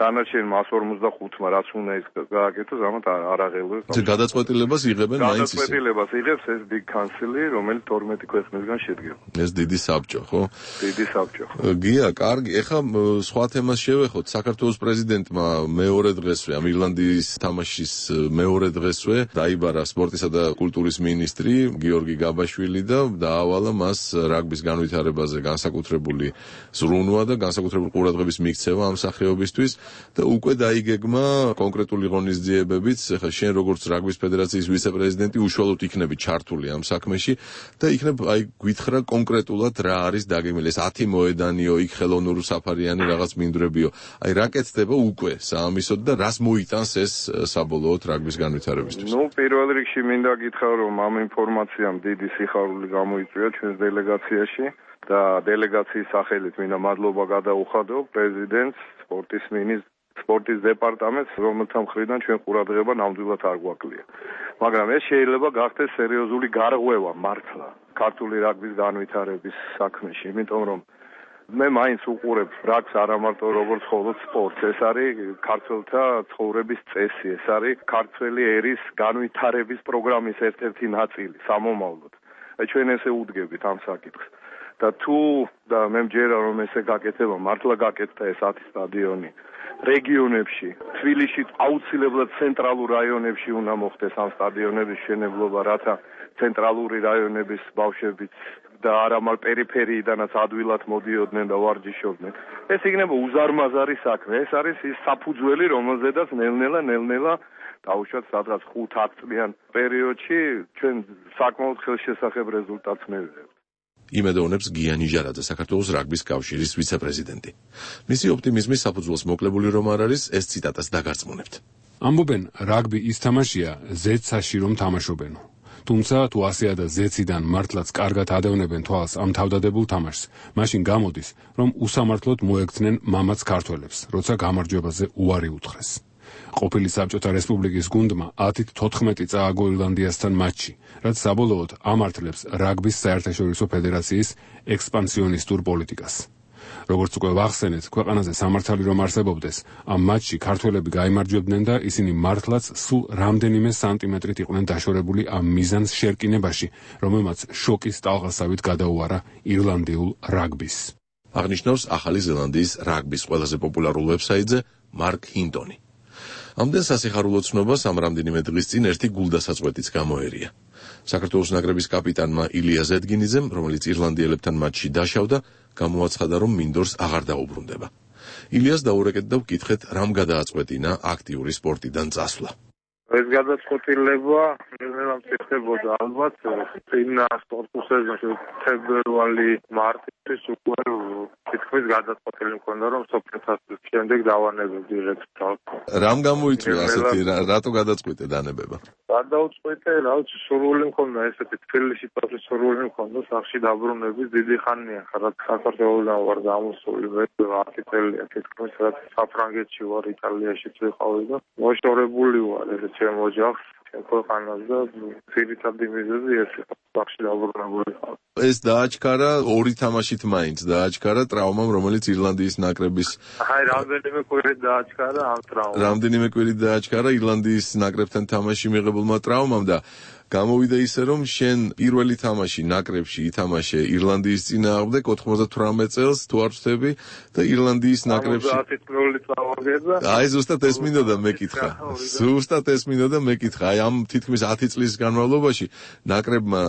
დანარჩენ 145-მა რაც უნდა ის გააკეთოს, ამათ არ აღელვებს. გადაწყვეტილებას იღებენ მაინც ისე. გადაწყვეტილებას იღებს ეს big council, რომელიც 12 ქვეყნისგან შედგება. ეს დიდი საბჭო, ხო? დიდი საბჭო. გია, კარგი, ეხლა სხვა თემას შევეხოთ. საქართველოს პრეზიდენტმა მეორე დღესვე, ამ ირლანდიის თამაშის მეორე დღესვე დაიბარა სპორტისა და კულტურის მინისტრი გიორგი გაბაშვილი და დაავალა მას რაგბის განვითარებაზე განსაკუთრებული ზრუნვა და განსაკუთრებული ყურადღების მიქცევა ამ სახეობისთვის და უკვე დაიგეგმა კონკრეტული ღონისძიებებიც. ეხლა შენ როგორც რაგბის ფედერაციის ვიცე-პრეზიდენტი უშუალოდ იქნები ჩართული ამ საქმეში და იქნებ აი გვითხრა კონკრეტულად რა არის დაგეგმილი. ეს 10 მოედანიო, იქ ხელოვნური საფარიანი რაღაც მინდვრებიო. აი რა კეთდება უკვე საამისოდ და რას მოიტანს ეს საბოლოოდ რაგბის განვითარებისთვის? პირველ რიგში მინდა გითხრა რომ ამ ინფორმაციამ დიდი სიხარული გამოიწვია ჩვენს დელეგაციაში და დელეგაციის სახელით მინდა მადლობა გადაუხადო პრეზიდენტს, სპორტის მინისტრს, სპორტის დეპარტამენტს, რომელთა მხრიდან ჩვენ ყურადღება ნამდვილად არ გვაკლია. მაგრამ ეს შეიძლება გახდეს სერიოზული გარღვევა მართლა ქართული რაგბის განვითარების საქმეში, იმიტომ რომ მე მაინც უყურებ რაგბს არა მარტო როგორც მხოლოდ სპორტს, ეს არის ქართველთა ცხოვრების წესი, ეს არის ქართველი ერის განვითარების პროგრამის ერთ-ერთი ნაწილი სამომავლოდ. ჩვენ ესე უდგებით ამ საკითხს. და თუ და მე მჯერა რომ ესე გაკეთება, მართლა გაკეთდა ეს 10 სტადიონი რეგიონებში, თბილისში აუცილებლად ცენტრალურ რაიონებში უნდა მოხდეს ამ სტადიონების მშენებლობა, რათა ცენტრალური რაიონების ბავშვებიც და არამალ პერიფერიიდანაც ადვილად მოდიოდნენ და ვარჯიშობდნენ. ეს იქნება უზარმაზარი საქმე. ეს არის ის საფუძველი, რომელზედაც ნელ-ნელა დაუშვათ სადღაც 5-10 წლიან პერიოდში ჩვენ საკმაოდ ხელშესახებ რეზულტატს მივიღებთ. იმედოვნებს გია ნიჟარაძე, საქართველოს რაგბის კავშირის ვიცე-პრეზიდენტი. მისი ოპტიმიზმის საფუძველს მოკლებული რომ არ არის, ეს ციტატას დაგარწმუნებთ. ამბობენ, რაგბი ის თამაშია, ზეცაში რომ თამაშობენო. თუმცა თუ ასეა და ზეციდან მართლაც კარგად ადევნებენ თვალს ამ თავდადებულ თამაშს, მაშინ გამოდის, რომ უსამართლოდ მოექცნენ მამაც ქართველებს, როცა გამარჯვებაზე უარი უთხრეს. ყოფილი საბჭოთა რესპუბლიკის გუნდმა 10-14 წააგო ირლანდიასთან მატჩი, რაც საბოლოოდ ამართლებს რაგბის საერთაშორისო ფედერაციის ექსპანსიონისტურ პოლიტიკას. როგორც უკვე ვახსენეთ, ქვეყანაზე სამართალი რომ არსებობდეს, ამ მატჩში ქართველები გაიმარჯვებდნენ და ისინი მართლაც სულ რამდენიმე სანტიმეტრით იყვნენ დაშორებული ამ მიზანს შერკინებაში, რომელმაც შოკის ტალღასავით გადაუარა ირლანდიულ რაგბის. აღნიშნავს ახალი ზელანდიის რაგბის ყველაზე პოპულარულ ვებსაიტზე მარკ ჰინტონი. ამდენ სასიხარულო ცნობას ამ რამდენიმე დღის წინ ერთი გულდასაწყვეტიც გამოერია. საქართველოს ნაკრების კაპიტანმა ილია ზედგინიძემ, რომელიც ირლანდიელებთან მატჩში დაშავდა, გამოაცხადა, რომ მინდორს აღარ დაუბრუნდება. ილიას დაურეკეთ და ვკითხეთ, რამ გადააწყვეტინა აქტიური სპორტიდან წასვლა. ეს გადაწყვეტილება ნელ-ნელა მწიფდებოდა ალბათ წინ სპორტულ სეზონში თებერვალი-მარტის უკვე თითქმის გადაწყვეტილი მქონდა რომ სოფლიოს შემდეგ დავანებებდი რეგისტრს. რამ გამოიწვია ასეთი რატო გადაწყვეტე დანებება? გადაუწყვეტე, რა ვიცი, სურვილი მქონდა ესეთი თბილისში პასუხი სურვილი მქონდა სახში დაბრუნების დიდი ხანია, რაც საქართველოსთან ვარ გამოსული მე 10 წელია თითქმის რაც საფრანგეთში ვარ, იტალიაშიც ვიყავი და მოშორებული ვარ ეს ჩემ ოჯახს, ჩემ ქვეყანას და ძირითადი მიზეზი ეს სახში დაბრუნებული ხარ. ეს დააჩქარა ორი თამაშით მაინც დააჩქარა ტრავმამ, რომელიც ირლანდიის ნაკრების რამდენიმე კვირით დააჩქარა ამ ტრავმამ. რამდენიმე კვირით დააჩქარა ირლანდიის ნაკრებთან თამაში მიღებულმა ტრავმამ და გამოვიდა ისე რომ შენ პირველი თამაში ნაკრებში ითამაშე ირლანდიის წინააღმდეგ 98 წელს თუ არ ვცდები და ირლანდიის ნაკრებში 70 წავაგედა. აი ზუსტად ეს მინდოდა მეკითხა. ზუსტად ეს მინდოდა მეკითხა. აი ამ თითქმის 10 წლის განმავლობაში ნაკრებმა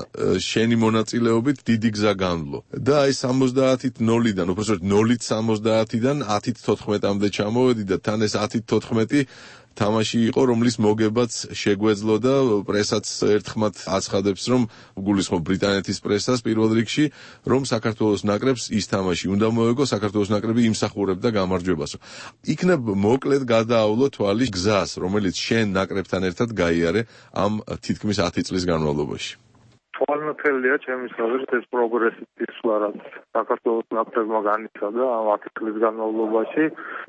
შენი მონაწილეობით დიდი გზა განვლო. და აი 70-ით 0-დან, უბრალოდ 0-ით 70-დან 10-ით 14-მდე ჩამოვედი და თან ეს 10-ით 14 თამაში იყო, რომლის მოგებაც შეგვეძლო და პრესაც ერთხმად აცხადებს, რომ გულისხმობ ბრიტანეთის პრესას პირველ რიგში, რომ საქართველოს ნაკრებს ის თამაში უნდა მოეგო, საქართველოს ნაკრები იმსახურებდა გამარჯვებას. იქნებ მოკლედ გადაავლო თვალი გზას, რომელიც შენ ნაკრებთან ერთად გაიარე ამ თითქმის 10 წლის განმავლობაში. თვალნათელია ჩემი აზრით ეს პროგრესი ისლა რაც საქართველოს ნაკრებმა განიცადა ამ 10 წლის განმავლობაში.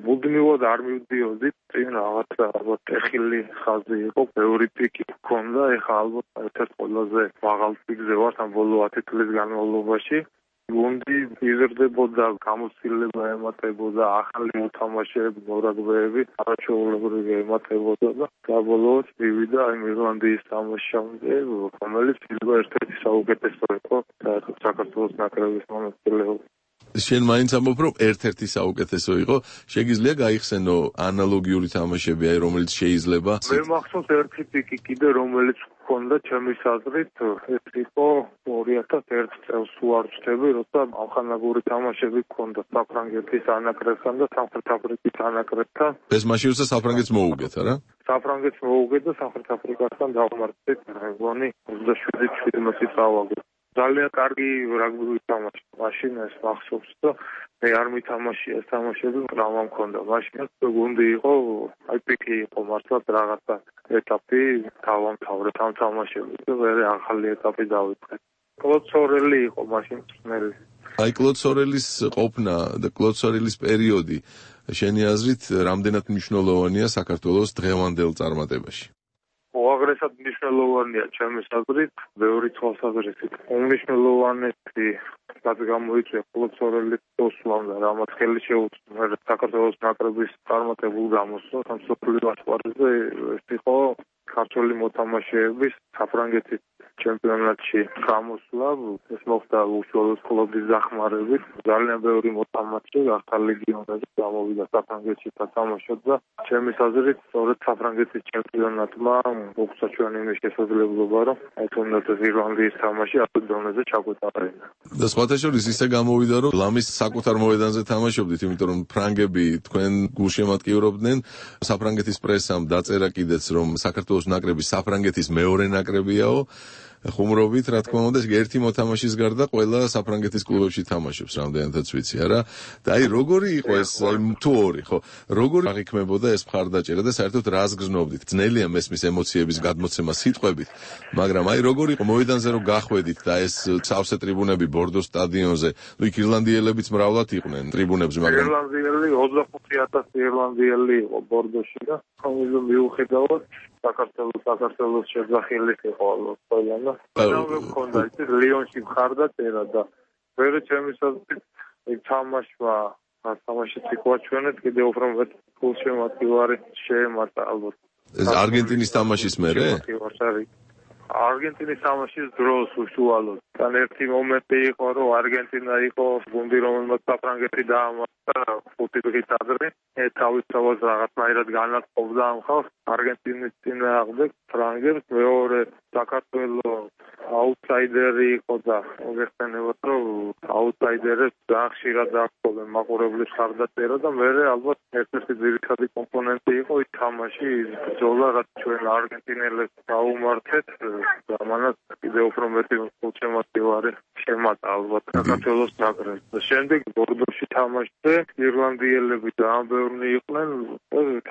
მუდმივად არ მივდიოდით, წინ რაღაცა ალბათ ტეხილი ხაზი იყო, ბევრი პიკი ჰქონდა, ეხლა ალბათ ერთ-ერთ ყველაზე მაღალ პიკზე ვართ ამ ბოლო 10 წლის განმავლობაში. გუნდი იზრდებოდა, გამოცდილება ემატებოდა, ახალი მოთამაშეები, მორაგბეები, არაჩვეულებრივი ემატებოდა და საბოლოოდ მივიდა იმ ირლანდიის თამაშამდე, რომელიც შეიძლება ერთ-ერთი საუკეთესო იყო საქართველოს ნაკრების მონაწილეობით. შენ მაინც ამბობ, რომ ერთ-ერთი საუკეთესო იყო, შეგიძლია გაიხსენო ანალოგიური თამაშები, აი რომელიც შეიძლება? მე მახსოვს ერთი პიკი კიდე, რომელიც ჰქონდა ჩემი აზრით, ეს იყო 2001 წელს ვარ ვწდები, როცა ამხანაგური თამაშები ჰქონდა საფრანგეთის ანაკრებთან და სამხრეთ აფრიკის ანაკრებთან. ეს მაშინ როცა საფრანგეთს მოუგეთ, არა? საფრანგეთს მოუგეთ და სამხრეთ აფრიკასთან დავმარცხეთ, მგონი 27-17 წავაგეთ. ძალიან კარგი რაგბი თამაში. მაშინ ეს მახსოვს და მე არ მითამაშია ეს თამაშები, ტრავმა მქონდა. მაშინ გუნდი იყო, აი პიკი იყო მართლაც რაღაცა ეტაპი დავამთავრეთ ამ თამაშებში და მე ახალი ეტაპი დავიწყე. კლოდ სორელი იყო მაშინ წნელი. აი კლოდ სორელის ყოფნა და კლოდ სორელის პერიოდი შენი აზრით რამდენად მნიშვნელოვანია საქართველოს დღევანდელ წარმატებაში? უაღრესად მნიშვნელოვანია ჩემი აზრით, ბევრი თვალსაზრისით. უმნიშვნელოვანესი რაც გამოიწვია კლოდ სორელის მოსვლამ და რამაც ხელი შეუწყო საქართველოს ნაკრების წარმატებულ გამოსვლას ამ მსოფლიო ასპარეზზე, ეს იყო ქართული მოთამაშეების საფრანგეთის ჩემპიონატში გამოსვლა. ეს მოხდა უშუალოდ კლუბის დახმარებით. ძალიან ბევრი მოთამაშე ახალ ლეგიონებში გამოვიდა საფრანგეთში თამაშობ და ჩემი აზრით, სწორედ საფრანგეთის ჩემპიონატმა მოგცა ჩვენ იმის შესაძლებლობა, რომ აი თუნდაც ირლანდიის თამაში ამ დონეზე ჩაგვეტანა. და სხვათა შორის ისე გამოვიდა, რომ ლამის საკუთარ მოედანზე თამაშობდით, იმიტომ რომ ფრანგები თქვენ გულშემატკივრობდნენ, საფრანგეთის პრესამ დაწერა კიდეც, რომ საქართველოს ნაკრები საფრანგეთის მეორე ნაკრებიაო. ხუმრობით, რა თქმა უნდა, ერთი მოთამაშის გარდა ყველა საფრანგეთის კლუბებში თამაშობს, რამდენადაც ვიცი, არა? და აი როგორი იყო ეს, თუ ორი, ხო? როგორი აღიქმებოდა ეს მხარდაჭერა და საერთოდ რას გრძნობდით? ძნელია მესმის ემოციების გადმოცემა სიტყვებით, მაგრამ აი როგორი იყო მოედანზე რომ გახვედით და ეს სავსე ტრიბუნები ბორდოს სტადიონზე, ნუ იქ ირლანდიელებიც მრავლად იყვნენ ტრიბუნებზე, მაგრამ ირლანდიელი 25,000 ირლანდიელი იყო ბორდოში და ხომ მიუხედავად საქართველოს შეძახილი იყო ყველა და მქონდა ის ლიონში მხარდაჭერა და ვერ ჩემი აზრით თამაშმა თამაშიც იყო ჩვენეთ კიდე უფრო მეტ გულშემატკივარი შეემატა ალბათ. ეს არგენტინის თამაშის მერე? არგენტინის თამაშის დროს უშუალოდ. თან ერთი მომენტი იყო, რომ არგენტინა იყო გუნდი, რომელმაც საფრანგეთი დაამარცხა 5 დღის ადრე. თავისთავად რაღაცნაირად განაწყობდა ამ ხალხს არგენტინის წინააღმდეგ ფრანგებს. მეორე საქართველოს აუტსაიდერი იყო და მოგეხსენებათ, რომ აუტსაიდერებს ძალიან ხშირად დაჰყოლენ მაყურებლის მხარდაჭერა და მე ალბათ ერთ-ერთი ძირითადი კომპონენტი იყო ის თამაში, ის ბრძოლა, რაც ჩვენ არგენტინელებს დაუმარცხეთ და მანაც კიდე უფრო მეტი გულშემატკივარი შემატა ალბათ საქართველოს ნაკრებს. შემდეგ ბორდოში თამაშზე ირლანდიელები ძალიან ბევრი იყვნენ,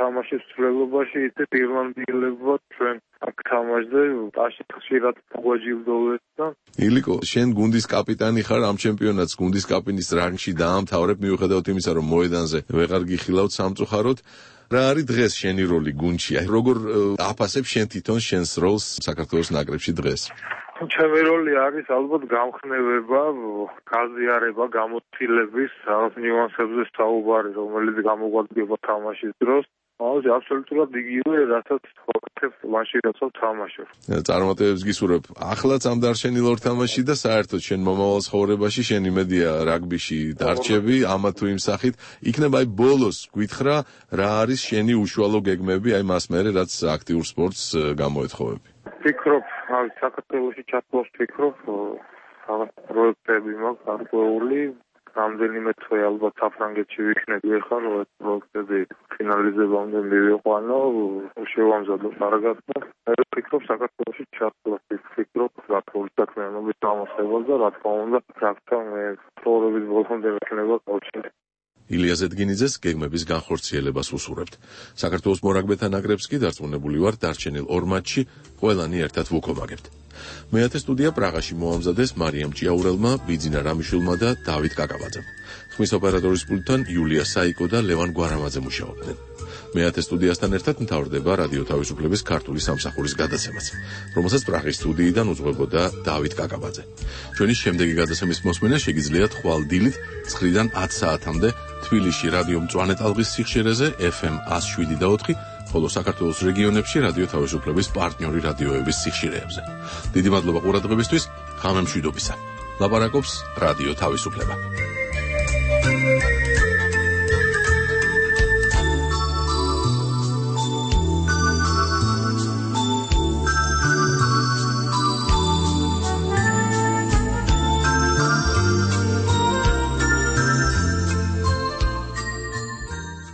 თამაშის ცვლილებაში ისეთ ირლანდიელებად ჩვენ აქ თამაშზე აშით ხშირად გვაჯილდოვეთ და ილიკო, შენ გუნდის კაპიტანი ხარ, ამ ჩემპიონატს გუნდის კაპიტნის რანგში დაამთავრებ, მიუხედავად იმისა, რომ მოედანზე ვეღარ გიხილავთ სამწუხაროდ. რა არის დღეს შენი როლი გუნდში? აი როგორ აფასებ შენ თვითონ შენს როლს საქართველოს ნაკრებში დღეს? ჩემი როლი არის ალბათ გამხნევება, გაზიარება, გამოცდილების რაღაც ნიუანსებზე საუბარი, რომელიც გამოგვადგება თამაშის დროს. აუზი აბსოლუტურად იგივე, რასაც ვაკეთებ მაშინ, როცა ვთამაშობ. წარმატებებს გისურვებ. ახლაც ამ დარჩენილ ორ თამაშში და საერთოდ შენ მომავალ ცხოვრებაში შენ იმედია რაგბიში დარჩები, ამა თუ იმ სახით. იქნება აი ბოლოს გითხრა, რა არის შენი უშუალო გეგმები აი მას მერე, რაც აქტიურ სპორტს გამოეთხოვები? ფიქრობ, საქართველოში ჩათვლას ფიქრობ, რაღაც პროექტები მაქვს გარკვეული, რამდენიმე თვე ალბათ საფრანგეთში ვიქნები ახლა რომ ეს პროექტები ფინალიზებამდე მივიყვანო, შევამზადო კარგად და მე ვფიქრობ საქართველოში ჩასვლა, ვფიქრობ საქართველოს საქმიანობის დამოსებას და რა თქმა უნდა, ფრაქცია მე პროექტის ბოლომდე მექნება კავშირი. ილია ზედგინიძეს გეგმების განხორციელებას უსურვებთ. საქართველოს მორაგბეთა ნაკრებს კი დარწმუნებული ვარ დარჩენილ ორ მატჩში ყველანი ერთად ვუქომაგებთ. მეათე სტუდია პრაღაში მოამზადეს მარიამ ჭიაურელმა, ბიძინა რამიშვილმა და დავით კაკაბაძემ. ხმის ოპერატორის პულტთან იულია საიკო და ლევან გვარამაძე მუშაობდნენ. მეათე სტუდიასთან ერთად მთავრდება რადიო თავისუფლების ქართული სამსახურის გადაცემაც, რომელსაც პრაღის სტუდიიდან უძღვებოდა დავით კაკაბაძე. ჩვენი შემდეგი გადაცემის მოსმენა შეგიძლიათ ხვალ დილით 9-დან 10 საათამდე თბილისში რადიო მწვანე ტალღის სიხშირეზე FM 107.4, ხოლო საქართველოს რეგიონებში რადიო თავისუფლების პარტნიორი რადიოების სიხშირეებზე. დიდი მადლობა ყურადღებისთვის, ღამე მშვიდობისა. ლაპარაკობს რადიო თავისუფლება.